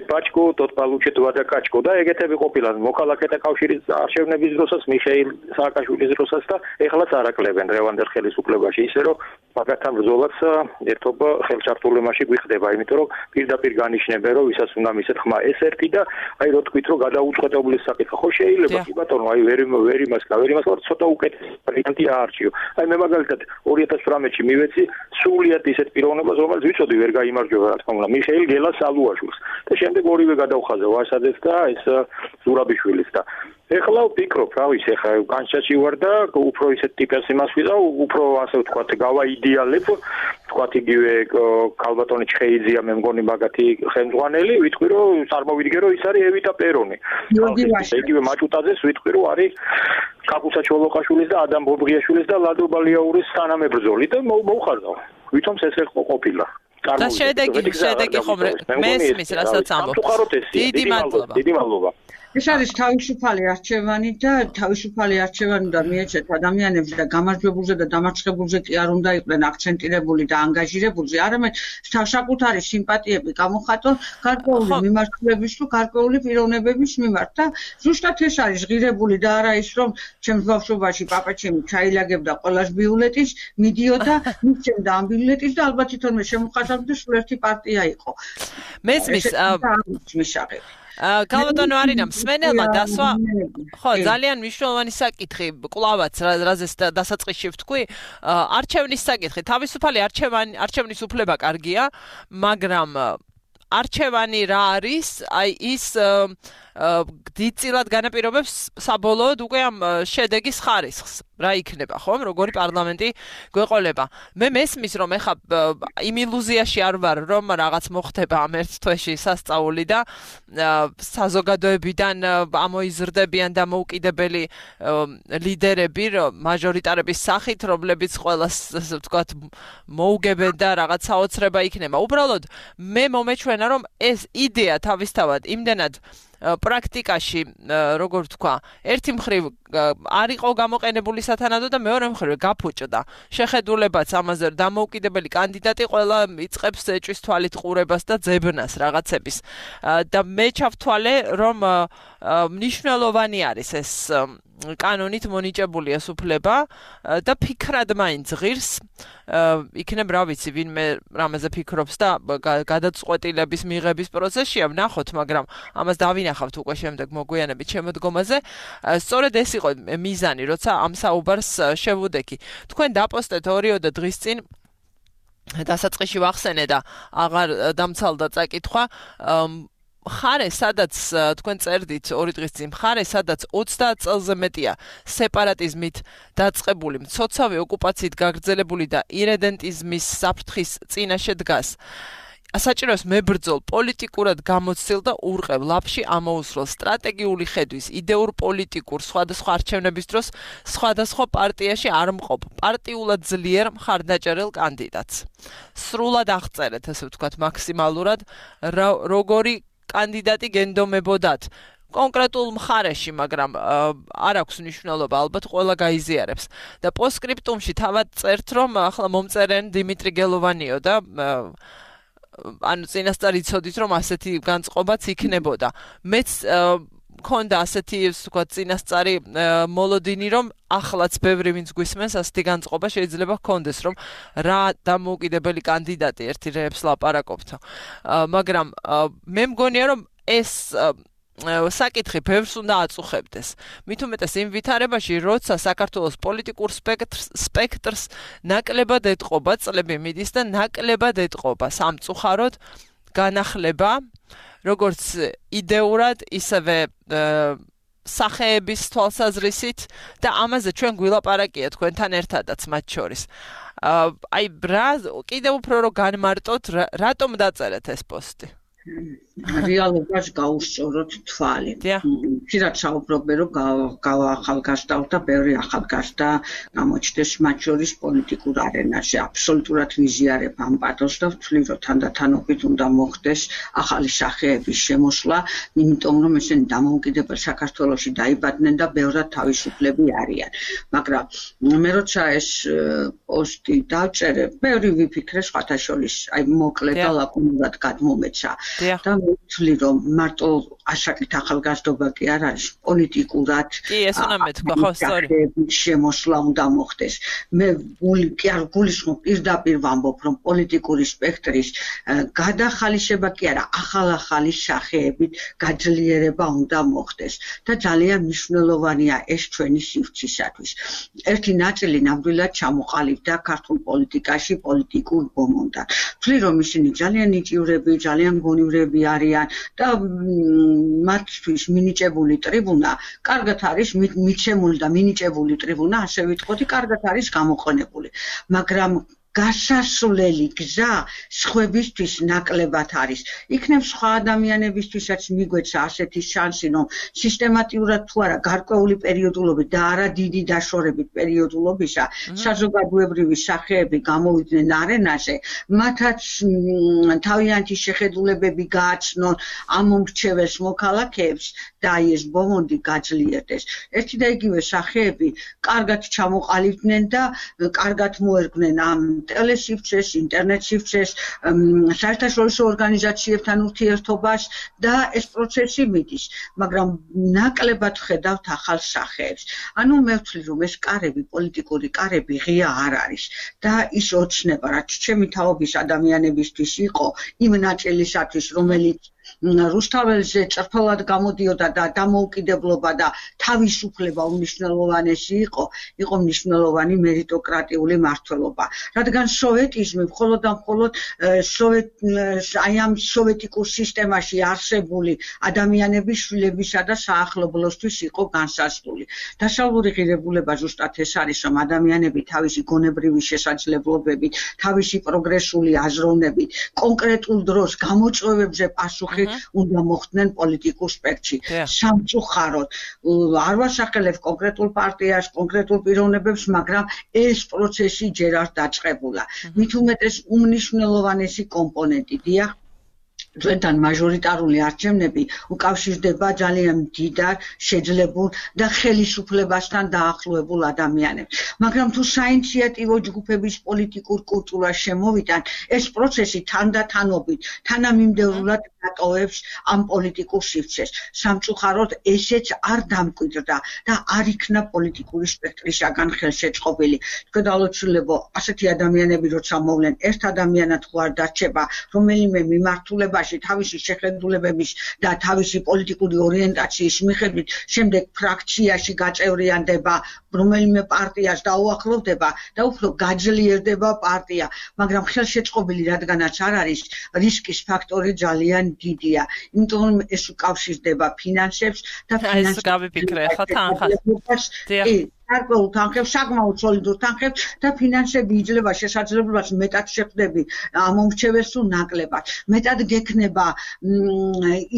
Пачку, тот получит водокачку. Да, ეგეთები ყოფილან მოქალაქეთა კავშირის არჩევნების დროსაც მიხეილ სააკაშვილის დროსაც და ეხლაც არაკლებენ რევანდერ ხელისუფლებაში ისე რომ მაგათთან ბრძოლაც ერთობა ხელშარტულობაში გვიხდება, იმიტომ რომ პირდაპირ განიშნებენ რომ ვისაც უნდა მისცეთ ხმა ეს ერთი და აი რო თქვით რომ გადაუწყვეტობის საკითხი ხო შეიძლება კი ბატონო აი ვერ იმას ცოტა უკეთესი ვარიანტი აარჩიო. აი მე მაგალითად 2018-ში მივეცი სულიად ისეთ პიროვნებას რომელიც ვიცოდი ვერ გაიმარჯვება რა თქმა უნდა მიხეილ გელას ალუაშვილს. შემდეგ ორივე გადავხაზე ვასაძეს და ეს ზურაბიშვილის და ეხლა ვფიქრობ რა ვიცი ეხლა განშაში ვარ და უფრო ისეთ ტიპის იმას ვიყავ უფრო ასე ვთქვათ გავაიდეალებ ვთქვათ იგივე ქალბატონი ჩხეიძია მე მგონი მაგათი ხელმძღვანელი ვიტყვი რომ წარმოვიდგე რომ ის არის ევიტა პერონი იგივე მაჭუტაძეს ვიტყვი რომ არის კაკუცა ჩოლოყაშვილის და ადამ ბობრიაშვილის და ლადო ბალიაურის თანამებრძოლი და მოვხარდავ ვითომ ეს ყოფილა და შედეგი ხომ მესმის რასაც ამბობ. დიდი მადლობა. ეს არის თავისუფალი არჩევანი და თავისუფალი არჩევანი და მიეჩეთ ადამიანებს და გამარჯვებულზე და დამარცხებულზე კი არ უნდა იყვნენ აქცენტირებული და ანგაჟირებულზე, არამედ საკუთარი სიმპათიები გამოხატონ გარკვეული მიმართულების თუ გარკვეული პიროვნებების მიმართ და ზუსტად ეს არის ღირებული და არა ის რომ ჩემს ბავშვობაში პაპაჩემი ჩაილაგებდა ყველას ბიულეტის, მიდიოდა მისცემდა ამ ბიულეტის და ალბათ თვითონვე შემოხატავდა სულ ერთი პარტია იყო. მესმის ქალბატონო არინა მსმენელმა დასვა ხო ძალიან მნიშვნელოვანი საკითხი კლავაც რაზეც დასაწყისში ვთქვი არჩევნის საკითხი თავისუფალი არჩევნის უფლება კარგია მაგრამ არჩევანი რა არის აი ის დიდწილად განაპირობებს საბოლოოდ უკვე ამ შედეგის ხარისხს რა იქნება ხომ როგორი პარლამენტი გვეყოლება მე მესმის რომ ეხა იმ ილუზიაში არ ვარ რომ რაღაც მოხდება ამ ერთ თვეში სასწაული და საზოგადოებიდან ამოიზრდებიან და მოუკიდებელი ლიდერები მაჟორიტარების სახით რომლებიც ყველას ასე ვთქვათ მოუგებენ და რაღაც საოცრება იქნება უბრალოდ მე მომეჩვენა რომ ეს იდეა თავისთავად იმდენად პრაქტიკაში როგორ თქვა, ერთი მხრივ არ იყო გამოყენებული სათანადო და მეორე მხრივ გაფუჭდა. შეხედულებაც ამაზე დამოუკიდებელი კანდიდატი ყველა იწყებს ეჭვის თვალით ყურებას და ძებნას რაღაცების. და მე ჩავთვალე, რომ მნიშვნელოვანი არის ეს კანონით მონიჭებული ეს უფლება და ფიქრად მაინც ღირს იქნებ რა ვიცი ვინმე რამეზე ფიქრობს და გადაწყვეტილების მიღების პროცესშია ვნახოთ, მაგრამ ამას დავინახავთ უკვე შემდეგ მოგვიანებით შემოდგომაზე. სწორედ ეს იყო მიზანი, როცა ამ საუბარს შევუდექი. თქვენ დაპოსტეთ 2 დღის წინ დასაწყისში ვახსენე და აღარ დამცალდა წაკითხვა მხარე, სადაც თქვენ წერდით 2 დღის წინ, მხარე, სადაც 30 წელზე მეტია სეპარატიზმით დაწყებული, მცოცავი ოკუპაციით გაგრძელებული და ირედენტიზმის საფრთხის წინაშე დგას. საჭიროებს მებრძოლ პოლიტიკურად გამოცდილ და ურყევ ლაფში ამოუსროლ სტრატეგიული ხედვის, იდეურ პოლიტიკურ სხვადასხვა არჩევნების დროს სხვადასხვა პარტიაში არ მყოფ პარტიულად ძლიერ მხარდაჭერილ კანდიდატს. სრულად აღწერეთ, ესე ვთქვათ, მაქსიმალურად როგორი კანდიდატი გენდომებოდათ კონკრეტულ მხარეში, მაგრამ არ აქვს მნიშვნელობა, ალბათ ყველა გაიზიარებს. და პოსტსკრიპტუმში თავად წერთ, რომ ახლა მომწერენ დიმიტრი გელოვანიო და ანუ წინასწარ იცოდით, რომ ასეთი განწყობაც იქნებოდა. მეც მქონდა ასეთი, ვთქვათ, წინასწარი მოლოდინი, რომ ახლაც ბევრი ვინც გვისმენს ასეთი განწყობა შეიძლება ჰქონდეს, რომ რა დამოუკიდებელი კანდიდატი ერთი რეებს ლაპარაკობთო. მაგრამ მე მგონია, რომ ეს საკითხი ბევრს უნდა აწუხებდეს. მით უმეტეს იმ ვითარებაში, როცა საქართველოს პოლიტიკურ სპექტრს ნაკლებად ეტყობა, წლები მიდის და ნაკლებად ეტყობა სამწუხაროდ განახლება, როგორც იდეურად, ისევე სახეების თვალსაზრისით და ამაზე ჩვენ გვილაპარაკია თქვენთან ერთადაც მათ შორის. აი, კიდევ უფრო რომ განმარტოთ, რატომ დაწერეთ ეს პოსტი? რეალობას გაუსწოროთ თვალი. ხშირად საუბრობ, რომ გავახალგაზრდავთ და ბევრი ახალგაზრდა გამოჩნდეს მათ შორის პოლიტიკურ არენაში. აბსოლუტურად ვიზიარებ ამ პათოსს და ვთვლი, რომ თანდათანობით უნდა მოხდეს ახალი სახეების შემოსვლა, იმიტომ რომ ესენი დამოუკიდებელ საქართველოში დაიბადნენ და ბევრად თავისუფლები არიან. მაგრამ მე როცა ეს პოსტი დავწერე, ბევრი ვიფიქრე სხვათა შორის, აი მოკლე და ლაკონურად გადმომეცა. და ვთვლი, რომ მარტო ასაკით ახალგაზრდობა კი არ არის, პოლიტიკურად კი, ეს უნდა მეთქვა, ხო, სწორი. შემოსვლა უნდა მოხდეს. მე კი არ გულისხმობ, პირდაპირ ვამბობ, რომ პოლიტიკური სპექტრის გადახალისება კი არა, ახალ-ახალი სახეებით გაძლიერება უნდა მოხდეს და ძალიან მნიშვნელოვანია ეს ჩვენი სივრცისათვის. ერთი ნაწილი ნამდვილად ჩამოყალიბდა ქართულ პოლიტიკაში პოლიტიკურ ბომონდად. ვთვლი, რომ ისინი ძალიან ნიჭივრები, ძალიან გონივრები არიან და მათთვის მინიჭებული ტრიბუნა კარგად არის მიცემული და მინიჭებული ტრიბუნა, ასე ვიტყოდი, კარგად არის გამოყენებული. მაგრამ გასასვლელი გზა სხვებისთვის ნაკლებად არის. იქნებ სხვა ადამიანებისთვისაც მიგვეცა ასეთი შანსი, რომ სისტემატიურად თუ არა გარკვეული პერიოდულობით და არა დიდი დაშორებით პერიოდულობისა საზოგადოებრივი სახეები გამოვიდნენ არენაზე, მათაც თავიანთი შეხედულებები გააცნონ ამ მომრჩეველს მოქალაქეებს და აი ეს ბომონდი გაძლიერდეს. ერთი და იგივე სახეები კარგად ჩამოყალიბდნენ და კარგად მოერგნენ ამ ტელესივრცეს, ინტერნეტ სივრცეს, საერთაშორისო ორგანიზაციებთან ურთიერთობას და ეს პროცესი მიდის, მაგრამ ნაკლებად ხედავთ ახალ სახეებს. ანუ მე ვთვლი, რომ ეს კარები, პოლიტიკური კარები ღია არ არის და ის ოცნება, რაც ჩემი თაობის ადამიანებისთვის იყო, იმ ნაწილისათვის, რომელიც რუსთაველზე წერფელად გამოდიოდა და დამოუკიდებლობა და თავისუფლება უმნიშვნელოვანესი იყო მნიშვნელოვანი მერიტოკრატიული მმართველობა. რადგან სოვეტიზმი მხოლოდ და მხოლოდ აი ამ სოვეტიკურ სისტემაში არსებული ადამიანების შვილებისა და საახლობლოსთვის იყო განსაზღვრული. დასავლური ღირებულება ზუსტად ეს არის, რომ ადამიანები თავისი გონებრივი შესაძლებლობებით, თავისი პროგრესული აზროვნებით, კონკრეტულ დროს გამოწვევებზე პასუხი უნდა მოხდნენ პოლიტიკურ სპექტრში. სამწუხაროდ არ ვასახელებ კონკრეტულ პარტიას, კონკრეტულ პიროვნებებს, მაგრამ ეს პროცესი ჯერ არ დაწყებულა. მით უმეტეს უმნიშვნელოვანესი კომპონენტი, დიახ, ჩვენთან მაჟორიტარული არჩევნები უკავშირდება ძალიან დიდარ, შეძლებულ და ხელისუფლებასთან დაახლოებულ ადამიანებს. მაგრამ თუ საინიციატივო ჯგუფების პოლიტიკურ კულტურას შემოვიდან, ეს პროცესი თანდათანობით, თანამიმდევრულად დატოვებს ამ პოლიტიკურ სივრცეს. სამწუხაროდ ესეც არ დამკვიდრდა და არ იქნა პოლიტიკური სპექტრისაგან ხელშეწყობილი. თქვენდალოცულებო, ასეთი ადამიანები როცა მოვლენ, ერთ ადამიანად ხო არ დარჩება, რომელიმე მიმართულებაში თავისი შეხედულებების და თავისი პოლიტიკური ორიენტაციის მიხედვით შემდეგ ფრაქციაში გაწევრიანდება, რომელიმე პარტიას დაუახლოვდება და უფრო გაძლიერდება პარტია, მაგრამ ხელშეწყობილი რადგანაც არ არის, რისკის ფაქტორი ძალიან დიდია. იმიტომ რომ ეს უკავშირდება ფინანსებს და ეს გავიფიქრე ახლა თანხას. გარკვეულ თანხებს, საკმაოდ სოლიდურ თანხებს და ფინანსები იძლევა შესაძლებლობას მეტად შეხვდები ამომრჩევეს თუ ნაკლებად. მეტად გექნება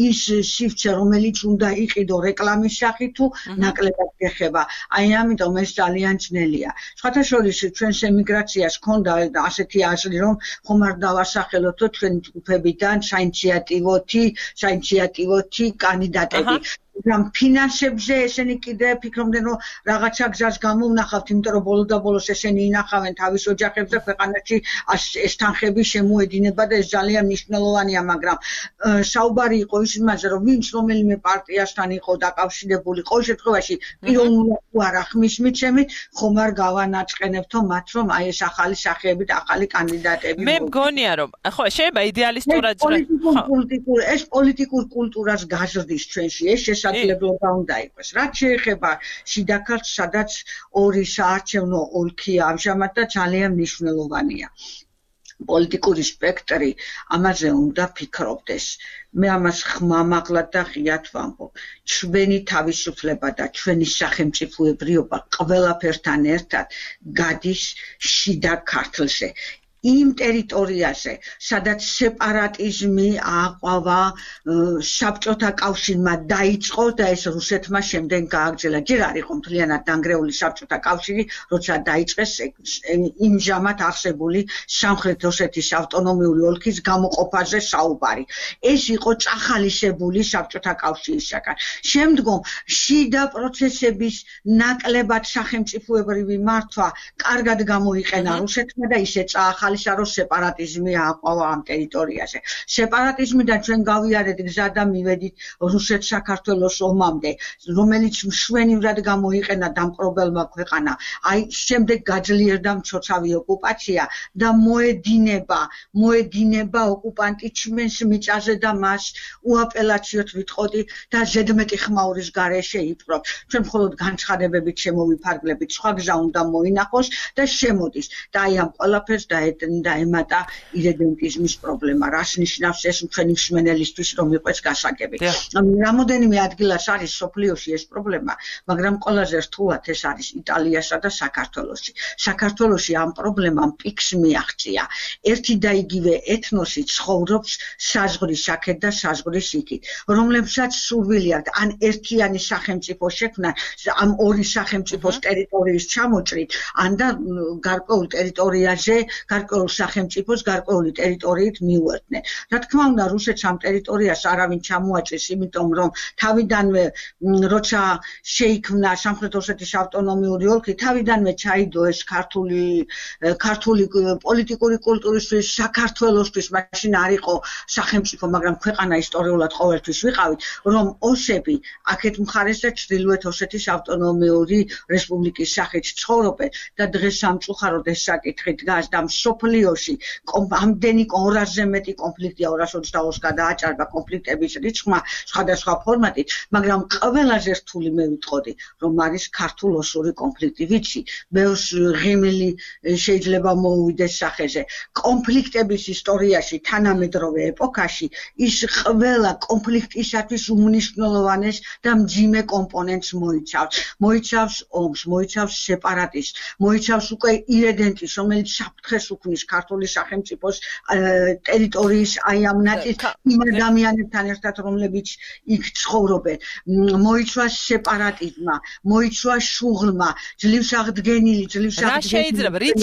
ის სივრცე, რომელიც უნდა იყიდო რეკლამის სახით თუ ნაკლებად გეხება. აი ამიტომ ეს ძალიან ძნელია. სხვათა შორის ჩვენს ემიგრაციას ჰქონდა ასეთი აზრი, რომ ხომ არ დავასახელოთ ჩვენი ჯგუფებიდან საინიციატივოთი კანდიდატები. მაგრამ ფინანსებზე ესენი კიდე ფიქრობდნენ, რომ რაღაცა გზას გამოვნახავთ, იმიტომ რომ ბოლოს ესენი ინახავენ თავის ოჯახებს და ქვეყანაში ეს თანხები შემოედინება და ეს ძალიან მნიშვნელოვანია, მაგრამ საუბარი იყო ის იმაზე, რომ ვინც რომელიმე პარტიასთან იყო დაკავშირებული, ყოველ შემთხვევაში პიროვნულად თუ არა ხმის მიცემით, ხომ არ გავანაწყენებთო მათ, რომ აი ეს ახალი სახეები და ახალი კანდიდატები. მე მგონია, რომ ხო, შეიძლება იდეალისტურად ეს პოლიტიკურ კულტურას გაზრდის ჩვენში, ეს შესაძლებლობა უნდა იყოს. რაც შეეხება შიდა ქართლს, სადაც ორი საარჩევნო ოლქია ამჟამად და ძალიან მნიშვნელოვანია. პოლიტიკური სპექტრი ამაზე უნდა ფიქრობდეს. მე ამას ხმამაღლად და ღიად ვამბობ. ჩვენი თავისუფლება და ჩვენი სახელმწიფოებრიობა ყველაფერთან ერთად გადის შიდა ქართლზე. იმ ტერიტორიაზე, სადაც სეპარატიზმი ააყვავა, საბჭოთა კავშირმა დაიწყო და ეს რუსეთმა შემდეგ გააგრძელა. ჯერ არ იყო მთლიანად დანგრეული საბჭოთა კავშირი, როცა დაიწყეს იმჟამად არსებული სამხრეთ ოსეთის ავტონომიური ოლქის გამოყოფაზე საუბარი. ეს იყო წახალისებული საბჭოთა კავშირისაგან. შემდგომ შიდა პროცესების ნაკლებად სახელმწიფოებრივი მართვა კარგად გამოიყენა რუსეთმა და ისე წაახალისა რომ სეპარატიზმი ააყვავა ამ ტერიტორიაზე. სეპარატიზმიდან ჩვენ გავიარეთ გზა და მივედით რუსეთ-საქართველოს ომამდე, რომელიც მშვენივრად გამოიყენა დამპყრობელმა ქვეყანა. აი შემდეგ გაძლიერდა მცოცავი ოკუპაცია და მოედინება ოკუპანტი ჩვენს მიწაზე და მას უაპელაციოდ ვიტყოდი და ზედმეტი ხმაურის გარეშე იპყრობ. ჩვენ მხოლოდ განცხადებებით შემოვიფარგლებით, სხვა გზა უნდა მოინახოს და შემოდის. და აი ამ ყველაფერს დაემატა ირედენტიზმის პრობლემა. რას ნიშნავს ეს ჩვენი მსმენელისთვის, რომ იყოს გასაგები. რამოდენიმე ადგილას არის სოფლიოში ეს პრობლემა, მაგრამ ყველაზე რთულად ეს არის იტალიასა და საქართველოში. საქართველოში ამ პრობლემამ პიკს მიაღწია. ერთი და იგივე ეთნოსი ცხოვრობს საზღვრის აქეთ და საზღვრის იქით, რომლებსაც სურვილი აქვთ ან ერთიანი სახელმწიფო შექმნა, ამ ორი სახელმწიფოს ტერიტორიის ჩამოჭრით, ან და გარკვეულ ტერიტორიაზე გარკვეულ სახელმწიფოს გარკვეული ტერიტორიით მიუერთდნენ. რა თქმა უნდა, რუსეთს ამ ტერიტორიას არავინ ჩამოაჭრის, იმიტომ რომ თავიდანვე როცა შეიქმნა სამხრეთ ოსეთის ავტონომიური ოლქი, თავიდანვე ჩაიდო ეს ქართული პოლიტიკური კულტურისთვის, საქართველოსთვის, მაშინ არ იყო სახელმწიფო, მაგრამ ქვეყანა ისტორიულად ყოველთვის ვიყავით, რომ ოსები აქეთ მხარეს და ჩრდილოეთ ოსეთის ავტონომიური რესპუბლიკის სახით ცხოვრობენ და დღეს სამწუხაროდ ეს საკითხი დგას და სოფლიოში ამდენი 200-ზე მეტი კონფლიქტია, 222-ს გადააჭარბა კონფლიქტების რიცხვმა სხვადასხვა ფორმატით, მაგრამ ყველაზე რთული მე ვიტყოდი, რომ არის ქართულ-ოსური კონფლიქტი, ვიცი, ბევრს ღიმილი შეიძლება მოუვიდეს სახეზე. კონფლიქტების ისტორიაში, თანამედროვე ეპოქაში, ის ყველა კონფლიქტისათვის უმნიშვნელოვანეს და მძიმე კომპონენტს მოიცავს. მოიცავს ომს, მოიცავს სეპარატიზმს, მოიცავს უკვე ირედენტის, რომელიც საფრთხეს ქმნის ქართული სახელმწიფოს ტერიტორიის აი ამ ნაწილს იმ ადამიანებთან ერთად, რომლებიც იქ ცხოვრობენ. მოიცვა სეპარატიზმმა, მოიცვა შუღლმა, ძლივს აღდგენილი, რა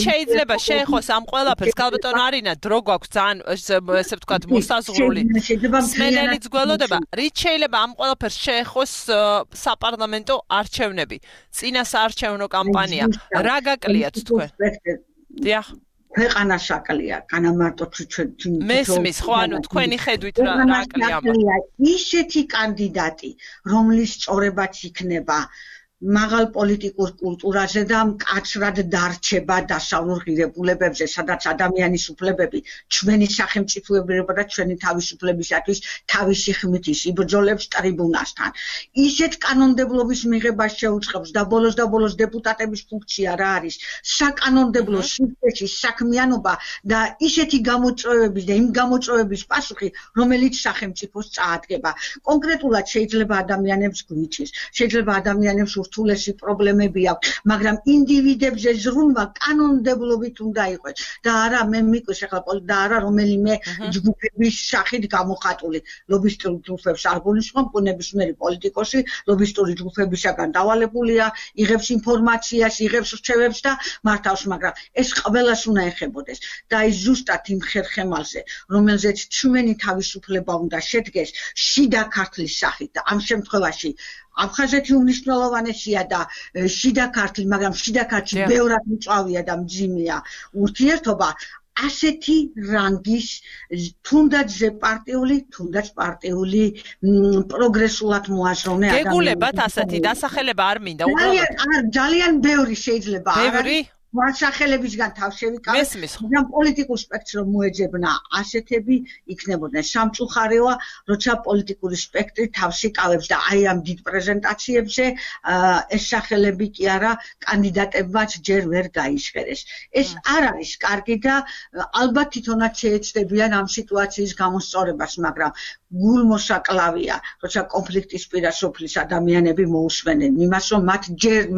შეიძლება შეეხოს ამ ყველაფერს? ქალბატონო არინა, დრო გვაქვს ძალიან ესე ვთქვათ მოსაზღვრული. სმენელიც გველოდება, რით შეიძლება ამ ყველაფერს შეეხოს საპარლამენტო არჩევნები, წინა საარჩევნო კამპანია, რა გაკლიათ თქვენ? დიახ. ქვეყანა საკლია, განა მარტო ჩვენ მესმის ხო, ანუ თქვენი ხედვით რა აკლია? ისეთი კანდიდატი, რომლის წორებაც იქნება მაღალ პოლიტიკურ კულტურაზე და მკაცრად დარჩება დასავლურ ღირებულებებზე, სადაც ადამიანის უფლებები, ჩვენი სახელმწიფოებრიობა და ჩვენი თავისუფლებისათვის თავისი ხმით იბრძოლებს ტრიბუნასთან. ისეთ კანონმდებლობის მიღებას შეუწყობს და ბოლოს დეპუტატების ფუნქცია რა არის? საკანონმდებლო სისტემის საქმიანობა და ისეთი გამოწვევების და იმ გამოწვევების პასუხი, რომელიც სახელმწიფოს წაადგება. კონკრეტულად შეიძლება ადამიანებს გვიჭირს, შეიძლება ადამიანებს ურთულესი პრობლემები აქვს, მაგრამ ინდივიდებზე ზრუნვა კანონმდებლობით უნდა იყოს და არა მე მიკვეს ახლა და არა რომელიმე ჯგუფების სახით გამოხატული. ლობისტური ჯგუფებს არ გულისხმობ, ნებისმიერი პოლიტიკოსი ლობისტური ჯგუფებისაგან დავალებულია, იღებს ინფორმაციას, იღებს რჩევებს და მართავს, მაგრამ ეს ყველას უნდა ეხებოდეს და აი ზუსტად იმ ხერხემალზე, რომელზეც ჩვენი თავისუფლება უნდა შედგეს შიდა ქართლის სახით და ამ შემთხვევაში აფხაზეთი უმნიშვნელოვანესია და შიდა ქართლი, მაგრამ შიდა ქართლი ბევრად მწვავეა და მძიმეა ურთიერთობა. ასეთი რანგის თუნდაც ზეპარტიული, თუნდაც პარტიული პროგრესულად მოაზროვნე ადამიანები. გეგულებათ ასეთი დასახელება არ მინდა უბრალოდ. ძალიან ბევრი შეიძლება. ბევრი სახელებისგან თავს შევიკავებ, მაგრამ პოლიტიკურ სპექტრს რომ მოეძებნა ასეთები იქნებოდნენ. სამწუხარეოა, როცა პოლიტიკური სპექტრი თავს იკავებს და აი ამ დიდ პრეზენტაციებზე ეს სახელები კი არა კანდიდატებმაც ჯერ ვერ გაიჟღერეს. ეს არ არის კარგი და ალბათ თვითონაც შეეცდებიან ამ სიტუაციის გამოსწორებას, მაგრამ გულმოსაკლავია, როცა კონფლიქტის პირა სოფლის ადამიანები მოусვენენ იმას, რომ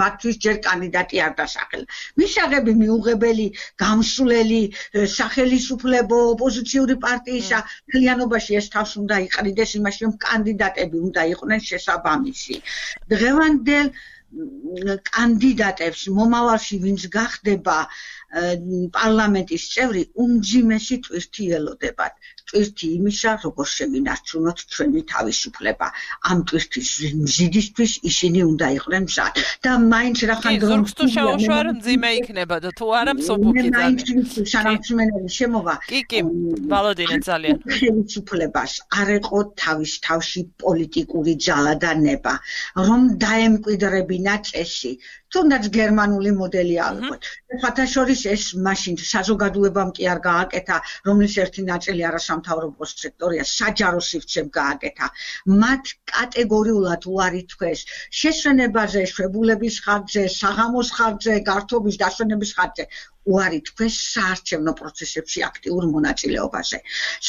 მათთვის ჯერ კანდიდატი არ დასახელა. მისაღები მიუღებელი, გამსვლელი, სახელისუფლებო, ოპოზიციური პარტიისა მთლიანობაში ეს თავს უნდა იყრიდეს იმაში, რომ კანდიდატები უნდა იყვნენ შესაბამისი. დღევანდელ კანდიდატებს მომავალში ვინც გახდება პარლამენტის წევრი, უმძიმესი ტვირთი ელოდებათ. ტვირთი იმისა, როგორ შევინარჩუნოთ ჩვენი თავისუფლება. ამ ტვირთის მზიდისთვის ისინი უნდა იყვნენ მზად. და მაინც რახან ზურგს თუ შეუშვარ მძიმე იქნება და თუ არა მსუბუქი ძალიან. სანამ სმენელი შემოვა. კი, ვალოდინე ძალიან. ხელისუფლებას არ ეყო თავის თავში პოლიტიკური ძალა და ნება, რომ დაემკვიდრებინა წესი. თუნდაც გერმანული მოდელი ავიღოთ. ხათაშორის ეს მაშინ საზოგადოებამ კი არ გააკეთა, რომლის ერთი ნაწილი არასამთავრობო სექტორია, საჯარო სივრცემ გააკეთა. მათ კატეგორიულად უარი თქვეს შესვენებაზე, შვებულების ხარჯზე, საღამოს ხარჯზე, გართობის დასვენების ხარჯზე. უარი თქვეს საარჩევნო პროცესებში აქტიურ მონაწილეობაზე.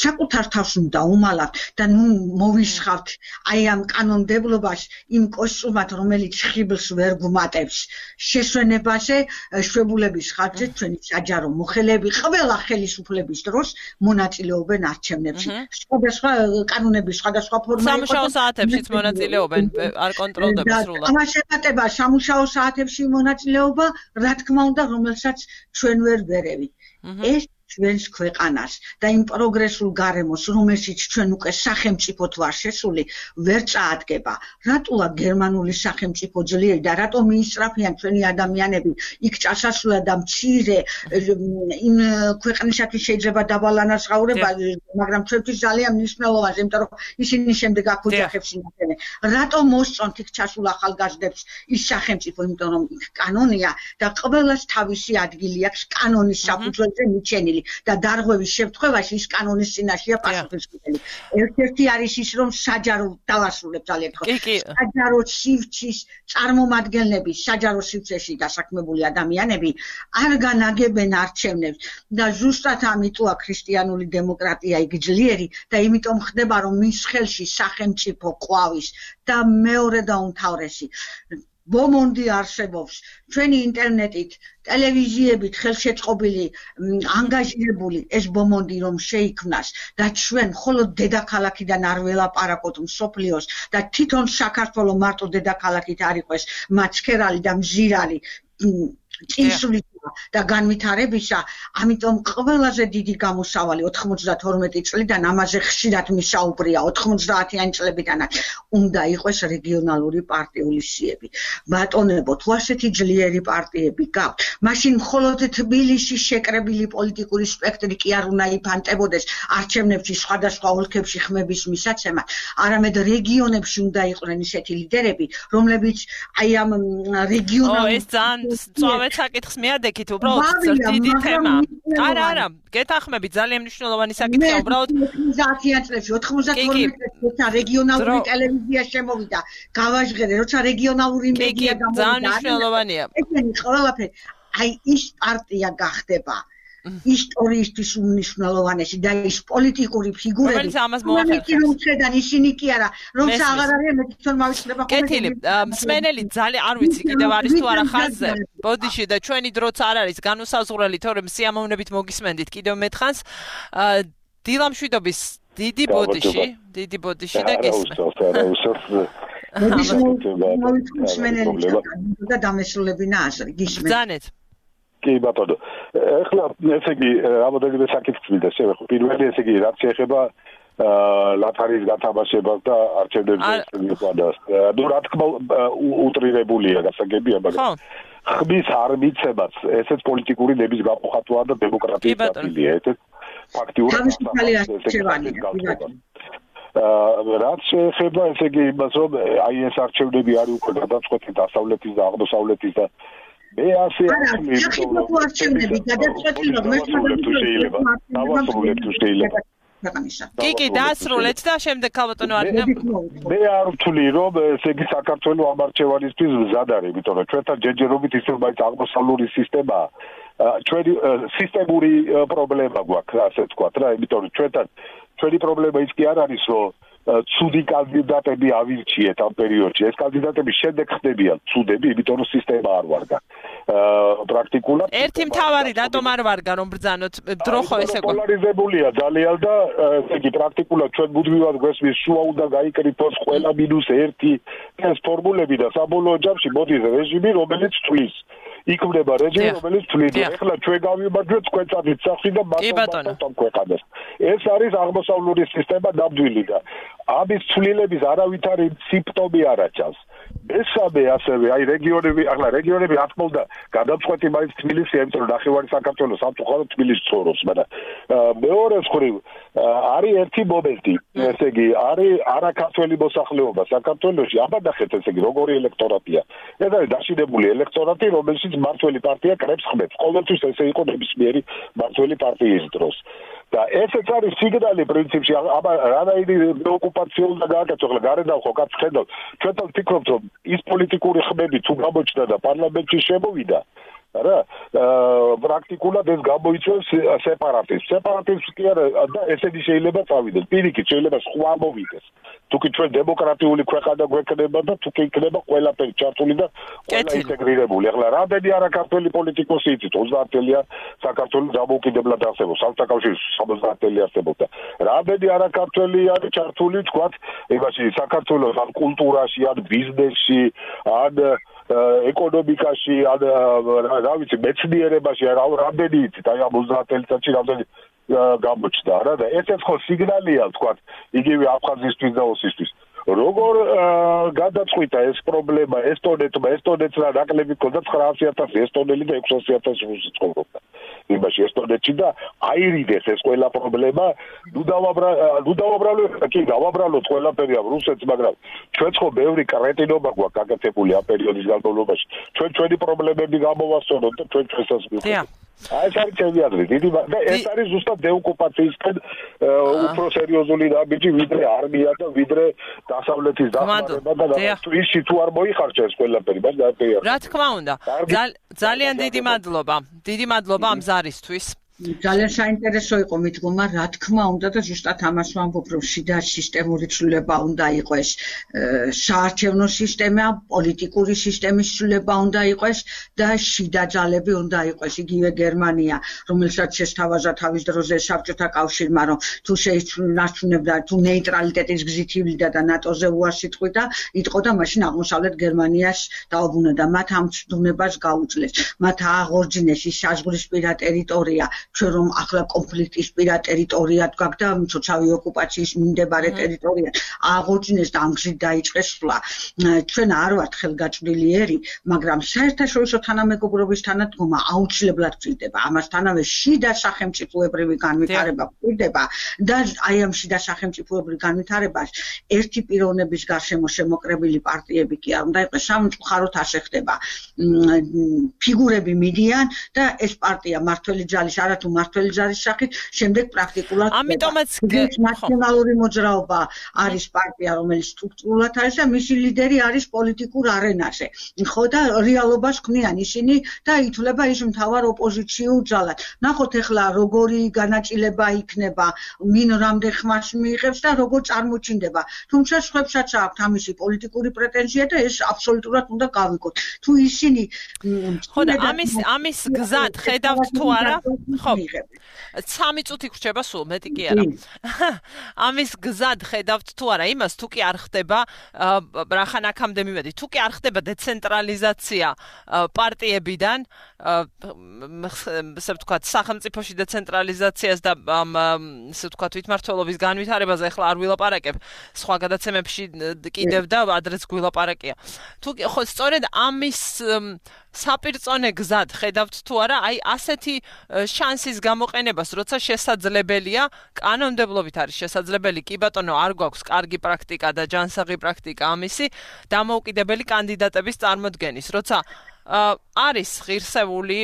საკუთარ თავს უნდა უმალავთ და ნუ მოვისხავთ აი ამ კანონმდებლობას იმ კოსტუმად, რომელიც ხიბლს ვერ გუმატებს. შესვენებაზე, შვებულების ხარჯზე ჩვენი საჯარო მოხელეები ყველა ხელისუფლების დროს მონაწილეობენ არჩევნებში. სხვადასხვა კანონების სხვადასხვა ფორმა იყო. სამუშაო საათებშიც მონაწილეობენ, არ კონტროლდება სრულად. ამას ეხება სამუშაო საათებში მონაწილეობა, რა თქმა უნდა, რომელსაც ჩვენ ვერ ვერევით. ეს ჩვენს ქვეყანას და იმ პროგრესულ გარემოს, რომელშიც ჩვენ უკვე სახელმწიფოდ ვარ შესული, ვერ წაადგება. რატოა გერმანული სახელმწიფო ძლიერი და რატომ მიისწრაფიან ჩვენი ადამიანები იქ წასასვლელად და მცირე იმ ქვეყნისათვის შეიძლება დავალანაცვლება, მაგრამ ჩვენთვის ძალიან მნიშვნელოვანია, იმიტომ რომ ისინი შემდეგ აქ ოჯახებს ინახებენ. რატომ მოსწონთ იქ ჩასულ ახალგაზრდებს ის სახელმწიფო, იმიტომ რომ იქ კანონია და ყველას თავისი ადგილი აქვს კანონის საფუძველზე მიჩენილი. და დარღვევის შემთხვევაში ის კანონის წინაშეა პასუხისმგებელი. ერთ-ერთი არის ის, რომ საჯარო დავასრულებ ძალიან ხო. საჯარო სივრცის წარმომადგენლები, საჯარო სივრცეში დასაქმებული ადამიანები არ განაგებენ არჩევნებს და ზუსტად ამიტოა ქრისტიანული დემოკრატია იქ ძლიერი და იმიტომ ხდება, რომ მის ხელში სახელმწიფო ყვავის და მეორე და უმთავრესი ბომონდი არსებობს ჩვენი ინტერნეტით ტელევიზიებით ხელშეწყობილი ანგაჟირებული ეს ბომონდი რომ შეიქმნას და ჩვენ მხოლოდ დედაქალაქიდან არ ველაპარაკოთ მსოფლიოს და თვითონ საქართველოს მარტო დედაქალაქით არ იყოს მაცქერალი და მზირალი წინსული და განვითარებისა, ამიტომ ყველაზე დიდი გამოსავალი 92 წლიდან ამაზე ხშირად მისაუბრია 90-იანი წლებიდანაც უნდა იყოს რეგიონალური პარტიული სიები. ბატონებო, თუ ასეთი ძლიერი პარტიები გაქვთ, მაშინ მხოლოდ თბილისში შეკრებილი პოლიტიკური სპექტრი კი არ უნდა იფანტებოდეს არჩევნებში სხვადასხვა ოლქებში ხმების მისაცემად, არამედ რეგიონებში უნდა იყვნენ ისეთი ლიდერები, რომლებიც აი ამ რეგიონალურ ეს ძალიან სწორად საკითხს მიადექით, უბრალოდ დიდი თემა. არა, გეთანხმებით, ძალიან მნიშვნელოვანი საკითხია, უბრალოდ 90-იან წლებში 92 წელს რეგიონალური ტელევიზია შემოვიდა. გავაჟღერე, როცა რეგიონალური მედია გამოვიდა. ძალიან მნიშვნელოვანია. ესენი ყველაფერი, აი ის პარტია გახდება ისტორიისთვის უმნიშვნელოვანესი და ის პოლიტიკური ფიგურები, რომელთიდან ისინი კი არა, რომცა აღარ არის მე თვითონ მავიწყდება ხოლმე. კეთილი, მსმენელი ძალიან არ ვიცი კიდევ არის თუ არა ხაზზე. ბოდიში და ჩვენი დროც არ არის განუსაზღვრელი, თორემ სიამოვნებით მოგისმენდით კიდევ მეთხანს. დილამშვიდობის დიდი ბოდიში და გისმენთ. და დამესრულებინა აზრი, გისმენთ. ბრძანეთ. კი ბატონო. ეხლა ესე იგი რამოდენიმე საკითხი მინდა შევეხო. პირველი ესე იგი რაც შეეხება ლათარის გათამაშებას და არჩევნების მიღებას. ნუ რა თქმა უტრირებულია გასაგებია, მაგრამ ხმის არ მიცემაც ესეც პოლიტიკური ნების გამოხატვა და დემოკრატიის დაპირია. ესეც ფაქტიურად რაც შეეხება ესე იგი იმას რომ აი ეს არჩევნები არის უკვე გადაწყვეტილი დასავლეთის და აღმოსავლეთის და მე ასე არჩევნები გადაწყვეტილი რომ კი, დაასრულეთ და შემდეგ ქალბატონო არინა. მე არ ვთვლი რომ ესე იგი საქართველოს ამ არჩევანისთვის მზად არის, იმიტომ რომ ჩვენთან ჯერჯერობით ის რომ მაინც აღმოსავლური სისტემაა. ჩვენი სისტემური პრობლემა გვაქვს, ასე ვთქვათ რა, იმიტომ რომ ჩვენი პრობლემა ის კი არ არის რომ ცუდი კანდიდატები ავირჩიეთ ამ პერიოდში. ეს კანდიდატები შემდეგ ხდებიან ცუდები, იმიტომ რომ სისტემა არ ვარგა. პრაქტიკულად ერთი მთავარი რატომ არ ვარგა რომ ბრძანოთ დრო ხო ესე გქონდა. პოლარიზებულია ძალიან და ესე იგი პრაქტიკულად ჩვენ მუდმივად გვესმის შუა უნდა გაიკრიფოს ყველა -1 ეს ფორმულები და საბოლოო ჯამში მოდის რეჟიმი რომელიც თვლის. იქნება რეჟიმი რომელიც თვლის. ეხლა ჩვენ გავიმარჯვეთ თქვენწადით სახში და მათთან ქვეყანას. ეს არის აღმოსავლური სისტემა ნამდვილი და ამის ცვლილების არავითარი სიმპტომი არ აჩავს. მესამე ასევე აი რეგიონები, ახლა რეგიონები რა თქმა უნდა გადაწყვეტი მაინც თბილისია, იმიტომ რომ ნახევარი საქართველოს სამწუხაროდ თბილისში ცხოვრობს, მაგრამ მეორე მხრივ არის ერთი მომენტი, ესე იგი არის არაქართველი მოსახლეობა საქართველოში, აბა ნახეთ ესე იგი როგორი ელექტორატია. ეს არის დაშინებული ელექტორატი, რომელშიც მმართველი პარტია კრებს ხმებს. ყოველთვის ესე იყო ნებისმიერი მმართველი პარტიის დროს. და ესეც არის სიგნალი პრინციპში, აბა რანაირი ოკუპაცია უნდა გააკეთოს, ახლა გარედან ხო კაც ხედავ, ჩვენთან ვფიქრობთ რომ ის პოლიტიკური ხმები თუ გამოჩნდა და პარლამენტში შემოვიდა, რა, პრაქტიკულად ეს გამოიწვევს სეპარატიზმს. სეპარატიზმს კი არა და ესენი შეიძლება წავიდეს. პირიქით შეიძლება სხვა მოვიდეს. თუკი ჩვენ დემოკრატიული ქვეყანა გვექნება და თუკი იქნება ყველაფერი ჩართული და ყველა ინტეგრირებული. ახლა რამდენი არაქართველი პოლიტიკოსი იცით 30-ელია საქართველოს დამოუკიდებლად არსებობს. სამსაკავშირო 70-ელი არსებობდა. რამდენი არაქართველი არის ჩართული თქვათ იმაში საქართველოს ან კულტურაში, ან ბიზნესში, ან ეკონომიკაში, ან რა ვიცი, მეცნიერებაში, რამდენი იცით, აი ამ 30 წელიწადში რამდენი გამოჩნდა რა და ესეც ხო სიგნალია თქვათ იგივე აფხაზისთვის და ოსისთვის. როგორ გადაწყვიტა ეს პრობლემა ესტონეთს რა ნაკლები ქონდა 900,000 ესტონელი და 600,000 რუსი ცხოვრობდა იმაში ესტონეთში და აირიდეს ეს ყველა პრობლემა ნუ დავაბრალოთ კი დავაბრალოთ ყველაფერი ამ რუსეთს მაგრამ ჩვენც ხო ბევრი კრეტინობა გვაქვს გაკეთებული ამ პერიოდის განმავლობაში ჩვენი პრობლემები გამოვასწოროთ და ჩვენსაც მივხვდით აი ეს არის ჩემი აზრი დიდი და ეს არის ზუსტად დეოკუპაციისკენ უფრო სერიოზული რამიჯი ვიდრე არმია და ვიდრე დასავლეთის დახმარება და ისში თუ არ მოიხარჯა ეს ყველაფერი მაგრამ რა თქმა უნდა ძალიან დიდი მადლობა ამ ზარისთვის ძალიან საინტერესო იყო მიდგომა, რა თქმა უნდა და ზუსტად ამას ვამბობ, რომ შიდა სისტემური ცვლილება უნდა იყოს, საარჩევნო სისტემა, პოლიტიკური სისტემის ცვლილება უნდა იყოს და შიდა ძალები უნდა იყოს, იგივე გერმანია, რომელსაც შესთავაზა თავის დროზე საბჭოთა კავშირმა, რომ თუ შეიცვლიდა, თუ ნეიტრალიტეტის გზით ივლიდა და ნატოზე უარსიტყვიდა, იტყოდა მაშინ აღმოსავლეთ გერმანიას დაუბრუნდა, მათ ამ ცდუნებას გაუძლეს, მათ აღორძინეს ის საზღვრისპირა ტერიტორია, ჩვენ რომ ახლა კონფლიქტის პირა ტერიტორიად გვაქვს და მცოცავი ოკუპაციის მიმდებარე ტერიტორია აღორძინეს და ამ გზით დაიწყეს სვლა. ჩვენ არ ვართ ხელგაწვრილიერი, მაგრამ საერთაშორისო თანამეგობრობის თანადგომა აუცილებლად გვჭირდება. ამასთანავე შიდა სახელმწიფოებრივი განვითარება გვჭირდება და აი ამ შიდა სახელმწიფოებრივ განვითარებას ერთი პიროვნების გარშემო შემოკრებილი პარტიები კი არ უნდა იყოს, სამწუხაროდ ასე ხდება. ფიგურები მიდიან და ეს პარტია მართველი ძალის არათუ მართველი ძალის სახით შემდეგ პრაქტიკულად ამიტომაც ნაციონალური მოძრაობა არის პარტია, რომელიც სტრუქტურულად არის და მისი ლიდერი არის პოლიტიკურ არენაზე. ხო და რეალობას ქმნიან ისინი და ითვლება ის მთავარ ოპოზიციურ ძალად. ნახოთ ახლა როგორი განაწილება იქნება, ვინ რამდენ ხმას მიიღებს და როგორ წარმოჩინდება. თუმცა სხვებსაც აქვთ ამისი პოლიტიკური პრეტენზია და ეს აბსოლუტურად უნდა გავიგოთ. თუ ისინი ხო და ამის გზად ხედავთ თუ არა? ხო. 3 წუთი გრჩება სულ, მეტი კი არა. ამის გზად ხედავთ თუ არა იმას, თუ კი არ ხდება, რახან აქამდე მივედი, თუ კი არ ხდება დეცენტრალიზაცია პარტიებიდან, ასე ვთქვათ, სახელმწიფოში დეცენტრალიზაციას და ასე ვთქვათ, თვითმმართველობის განვითარებაზე ახლა არ ვილაპარაკებ, სხვა გადაცემებში კიდევ და ადრეც გვილაპარაკია. თუ ხო სწორედ ამის საპირწონე გზად ხედავთ თუ არა, აი ასეთი შანსის გამოყენებას, როცა შესაძლებელია, კანონმდებლობით არის შესაძლებელი, კი ბატონო, არ გვაქვს კარგი პრაქტიკა და ჯანსაღი პრაქტიკა ამისი, დამოუკიდებელი კანდიდატების წარმოდგენის, როცა არის ღირსეული,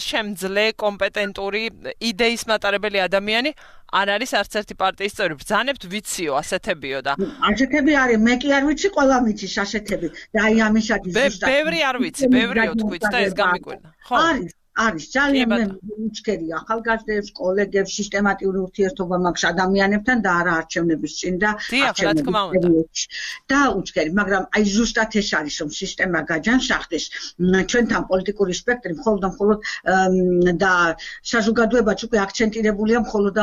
შემძლე, კომპეტენტური, იდეის მატარებელი ადამიანი, არ არის არც ერთი პარტიის წევრი. ბრძანებთ ვიციო, ასეთებიო და ასეთები არის, მე კი არ ვიცი, ყველა მიცის ასეთები და აი ამისათვის ზუსტად ბევრი არ ვიცი, ბევრიო თქვით და ეს გამიკვირდა. ხო. არის ძალიან მე უჩქერი ახალგაზრდებს, კოლეგებს, სისტემატიური ურთიერთობა მაქვს ადამიანებთან და არა არჩევნების წინ და არჩევნების და უჩქერი, მაგრამ აი ზუსტად ეს არის, რომ სისტემა გაჯანსაღდეს, ჩვენთან პოლიტიკური სპექტრი მხოლოდ და საზოგადოებაც უკვე აქცენტირებულია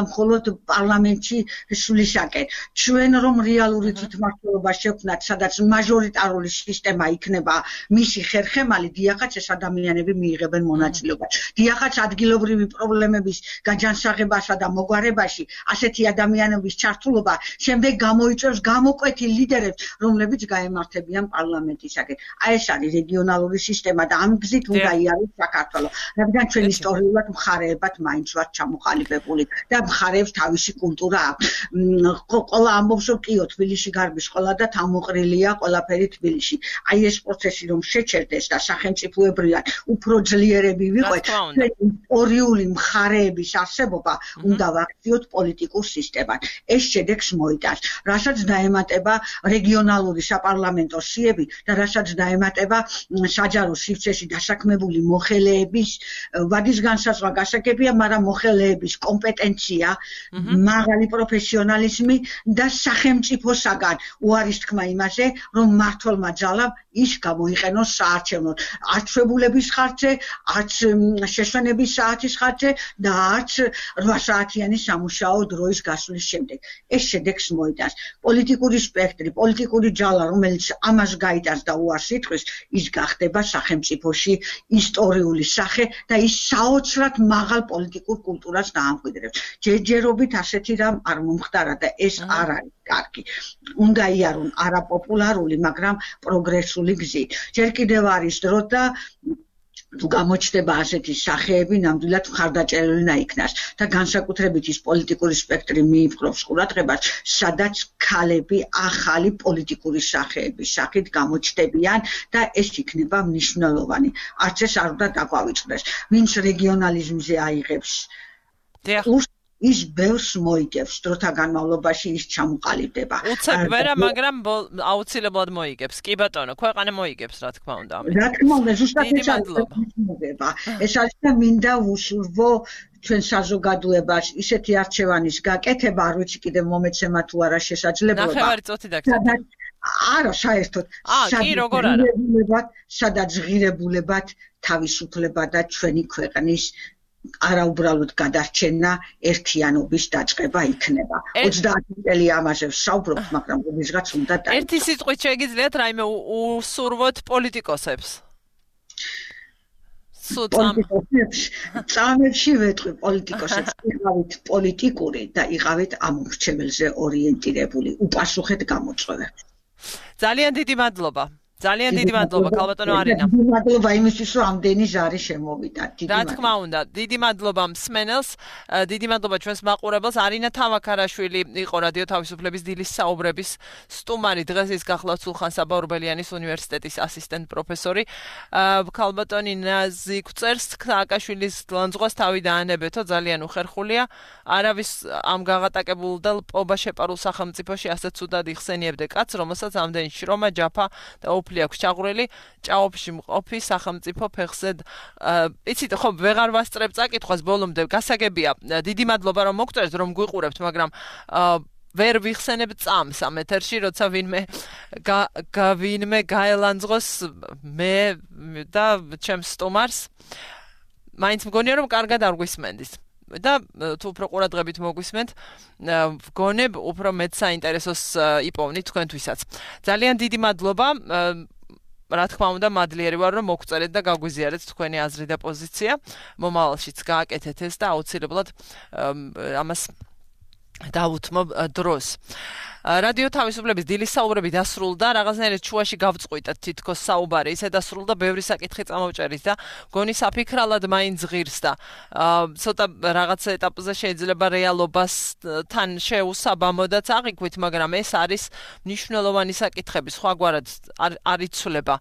მხოლოდ პარლამენტში სვლისაკენ. ჩვენ რომ რეალური თვითმმართველობა შევქმნათ, სადაც მაჟორიტარული სისტემა იქნება მისი ხერხემალი, დიახაც ეს ადამიანები მიიღებენ მონაწილეობას. დიახაც ადგილობრივი პრობლემების გაჯანსაღებასა და მოგვარებაში ასეთი ადამიანების ჩართულობა შემდეგ გამოიწვევს გამოკვეთილ ლიდერებს, რომლებიც გაემართებიან პარლამენტისაკენ. აი ეს არის რეგიონალური სისტემა და ამ გზით უნდა იაროს საქართველო. რადგან ჩვენ ისტორიულად მხარეებად მაინც ვართ ჩამოყალიბებული და მხარეებს თავისი კულტურა აქვს. ყველა ამბობს, რომ კიო, თბილისში გარბის ყველა და თავმოყრილია ყველაფერი თბილისში. აი ეს პროცესი რომ შეჩერდეს და სახელმწიფოებრივად უფრო ძლიერები ვიყო, ისტორიული მხარეების არსებობა უნდა ვაქციოთ პოლიტიკურ სისტემად. ეს შედეგს მოიტანს, რასაც დაემატება რეგიონალური საპარლამენტო სიები და რასაც დაემატება საჯარო სივრცეში დასაქმებული მოხელეების ვადის განსაზღვრა გასაგებია, მაგრამ მოხელეების კომპეტენცია, მაღალი პროფესიონალიზმი და სახელმწიფოსაგან უარის თქმა იმაზე, რომ მმართველმა ძალამ ის გამოიყენოს საარჩევნოდ. არც ჩვეულებების ხარჯზე, არც შეშვენების საათის ხარჯზე და არც 8 საათიანი სამუშაო დროის გასვლის შემდეგ. ეს შედეგს მოიტანს. პოლიტიკური სპექტრი, პოლიტიკური ჯალა, რომელიც ამას გაიტანს და უარს იტყვის, ის გახდება სახელმწიფოში ისტორიული სახე და ის საოცრად მაღალ პოლიტიკურ კულტურას დაამკვიდრებს. ჯერჯერობით ასეთი რამ არ მომხდარა და ეს არ არის კარგი. უნდა იარონ არაპოპულარული, მაგრამ პროგრესული გზით. ჯერ კიდევ არის დრო და თუ გამოჩნდება ასეთი სახეები, ნამდვილად მხარდაჭერილი იქნას და განსაკუთრებით ის პოლიტიკური სპექტრი მიიპყრობს ყურადღებას, სადაც ქალები ახალი პოლიტიკური სახეების სახით გამოჩნდებიან და ეს იქნება მნიშვნელოვანი. არც ეს არ უნდა დაგვავიწყდეს. ვინც რეგიონალიზმზე აიღებს ის ბევრს მოიგებს დროთა განმავლობაში ის ჩამოყალიბდება. უცებ ვერა, მაგრამ აუცილებლად მოიგებს. კი ბატონო, ქვეყანა მოიგებს, რა თქმა უნდა. რა თქმა უნდა, ზუსტად ეს არის. ეს არის და მინდა ვუსურვო ჩვენ საზოგადოებას ისეთი არჩევანის გაკეთება, არ ვიცი კიდევ მომეცემა თუ არა შესაძლებლობა. ნახევარი წუთი დაგწევთ. არა, საერთოდ. კი, როგორ არა. სადაც ღირებულებად თავისუფლება და ჩვენი ქვეყნის არაუბრალოდ გადარჩენა ერთიანობის დაწყება იქნება. 30 წელი ამაზე ვსაუბრობთ, მაგრამ ვიღაც უნდა დაიწყოს. ერთი სიტყვით შეგიძლიათ რაიმე უსურვოთ პოლიტიკოსებს. წამებში ვეტყვი პოლიტიკოსებს, იყავით პოლიტიკური და იყავით ამორჩეველზე ორიენტირებული, უპასუხეთ გამოწვევებს. ძალიან დიდი მადლობა. ძალიან დიდი მადლობა ქალბატონო არინა. დიდი მადლობა იმისთვის, რომ ამდენი ზარი შემოვიდა. რა თქმა უნდა, დიდი მადლობა მსმენელს, დიდი მადლობა ჩვენს მაყურებელს. არინა თამაქარაშვილი იყო რადიო თავისუფლების დილის საუბრების სტუმარი. დღეს ის გახლავთ სულხან-საბა ორბელიანის უნივერსიტეტის ასისტენტ პროფესორი. ქალბატონი ნაზი გვწერს, სააკაშვილის ლანძღვას თავი დაანებეთო, ძალიან უხერხულია. არავის ამ გაღატაკებულ და პობა შეპარულ სახელმწიფოში ასე ცუდად იხსენიებდე კაცს, რომელსაც ამდენი შრომა, ჯაფა და ოფლი აქვს ჩაღვრელი, ჭაობში მყოფი სახელმწიფო ფეხზე. იცით, ხო, ვეღარ ვასწრებ წაკითხვას ბოლომდე, გასაგებია. დიდი მადლობა რომ მოგწერთ, რომ გვიყურებთ, მაგრამ ვერ ვიხსენებ წამს ამ ეთერში, როცა ვინმე გაელანძღოს მე და ჩემს სტუმარს. მაინც მგონია რომ კარგად არ გვისმენდის. და თუ უფრო ყურადღებით მოგვისმენთ, ვგონებ უფრო მეტ საინტერესოს იპოვნით თქვენთვისაც. ძალიან დიდი მადლობა. რა თქმა უნდა, მადლიერი ვარ რომ მოგწერეთ და გაგვიზიარეთ თქვენი აზრი და პოზიცია. მომავალშიც გააკეთეთ ეს და აუცილებლად ამას დავუთმობ დროს. რადიო თავისუფლების დილის საუბრები დასრულდა, რაღაცნაირად შუაში გავწყვიტეთ თითქოს საუბარი, ისე დასრულდა, ბევრი საკითხი წამოვჭერით და გონი საფიქრალად მაინც ღირს და ცოტა რაღაც ეტაპზე შეიძლება რეალობასთან შეუსაბამოდაც აღიქვით, მაგრამ ეს არის მნიშვნელოვანი საკითხები, სხვაგვარად არ იცვლება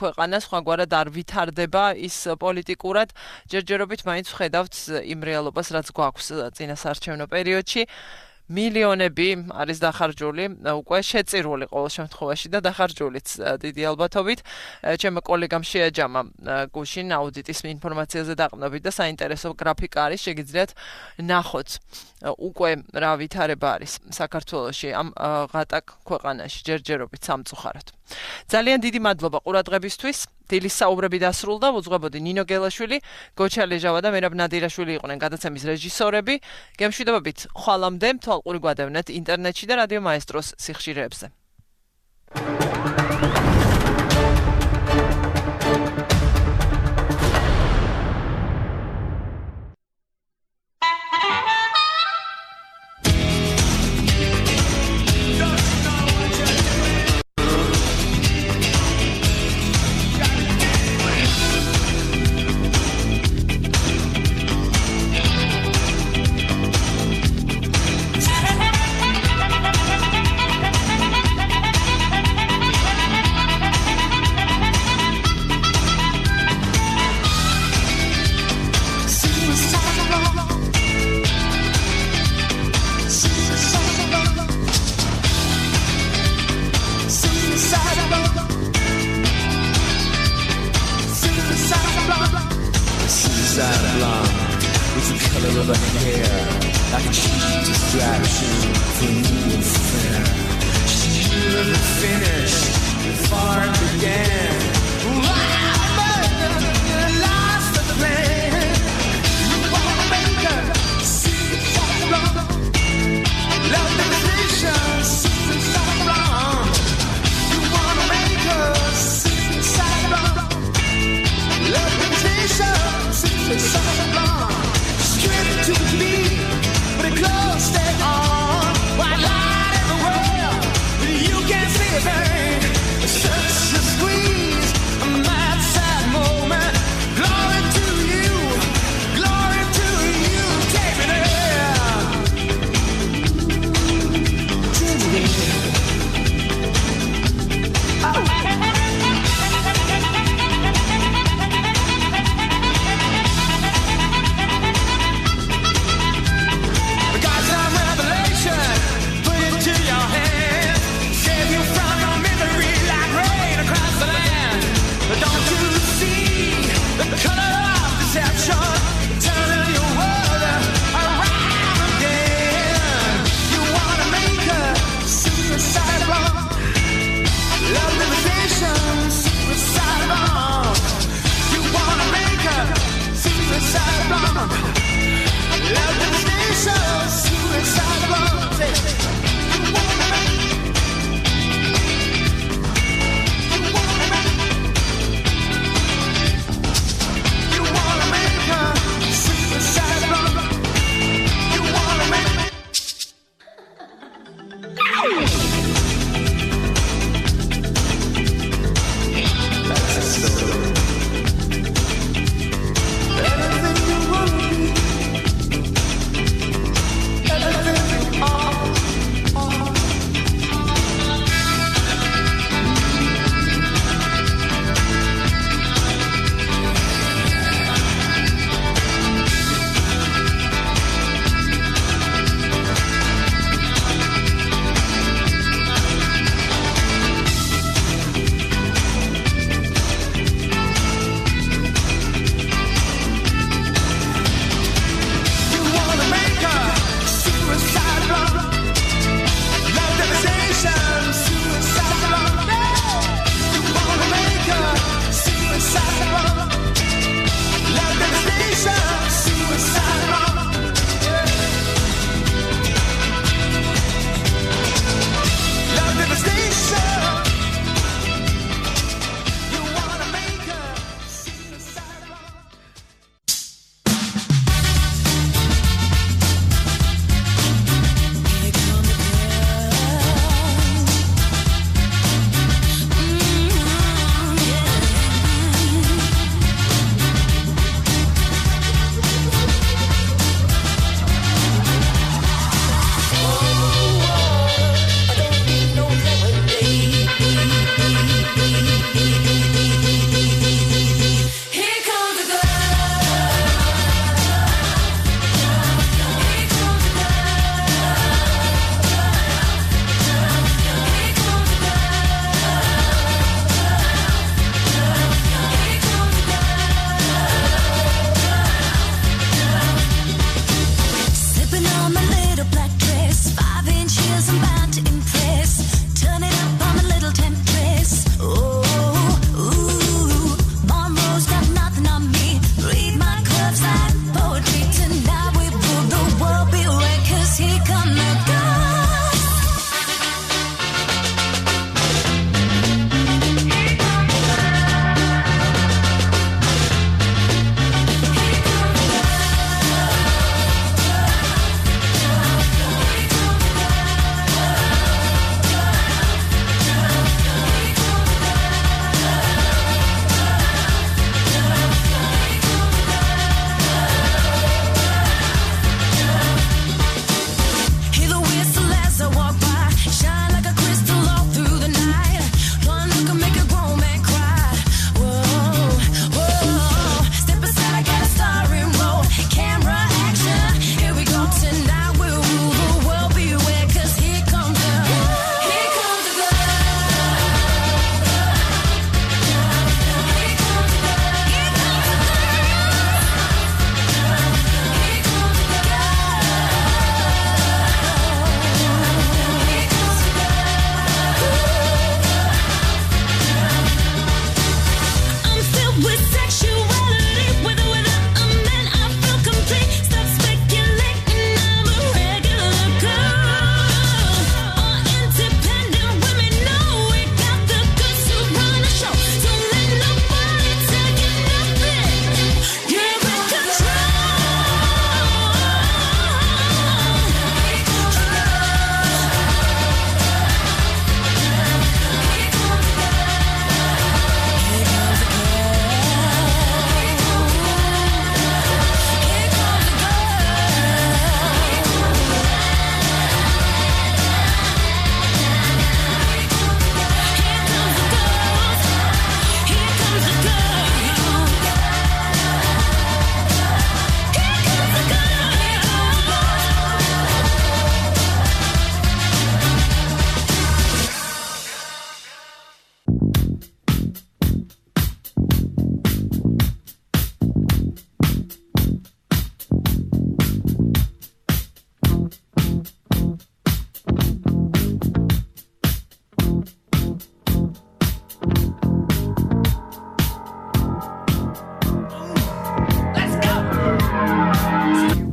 ქვეყანა, სხვაგვარად არ ვითარდება ის პოლიტიკურად, ჯერჯერობით მაინც ვხედავთ იმ რეალობას, რაც გვაქვს წინასაარჩევნო პერიოდში. მილიონები არის დახარჯული, უკვე შეწირული ყოველ შემთხვევაში და დახარჯულიც დიდი ალბათობით. ჩემო კოლეგამ შეაჯამა გუშინ აუდიტის ინფორმაციაზე დაყრდნობით და საინტერესო გრაფიკა არის, შეგიძლიათ ნახოთ უკვე რა ვითარება არის საქართველოში ამ ღატაკ ქვეყანაში ჯერჯერობით სამწუხაროდ. ძალიან დიდი მადლობა ყურადღებისთვის. დილის საუბრები დასრულდა, უძღვებოდი ნინო გელაშვილი, გოჩა ლეჟავა და მერაბ ნადირაშვილი იყვნენ გადაცემის რეჟისორები. გემშვიდობებით ხვალამდე თვალყური გვადევნეთ ინტერნეტში და რადიო მაესტროს სიხშირეებზე. Stay on, white light in the world, but you can't see a thing.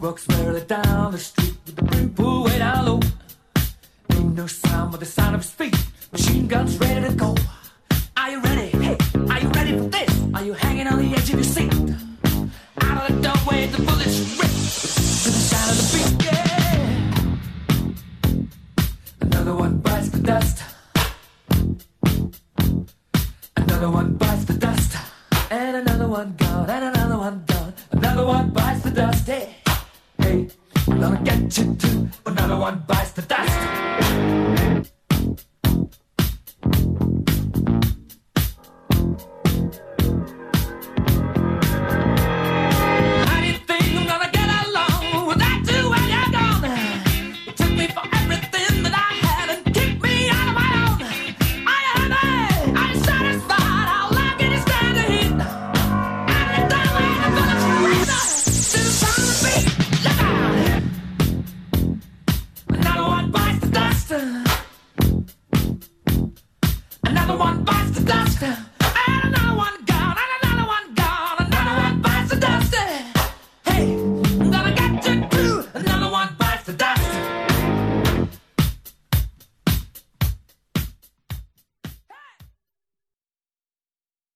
walks merrily down the street with the brim pulled way down low. Ain't no sound but the sound of his feet. Machine guns ready to go. Are you ready? Hey, are you ready for this? Are you hanging on the edge of your seat? Out of the doorway, the bullets rip to the sound of the beat. Yeah. Another one bites the dust. Another one bites the dust. And another one gone, and another one gone. Another one bites the dust. Hey, hey, I'm gonna get you too. Another one bites the dust.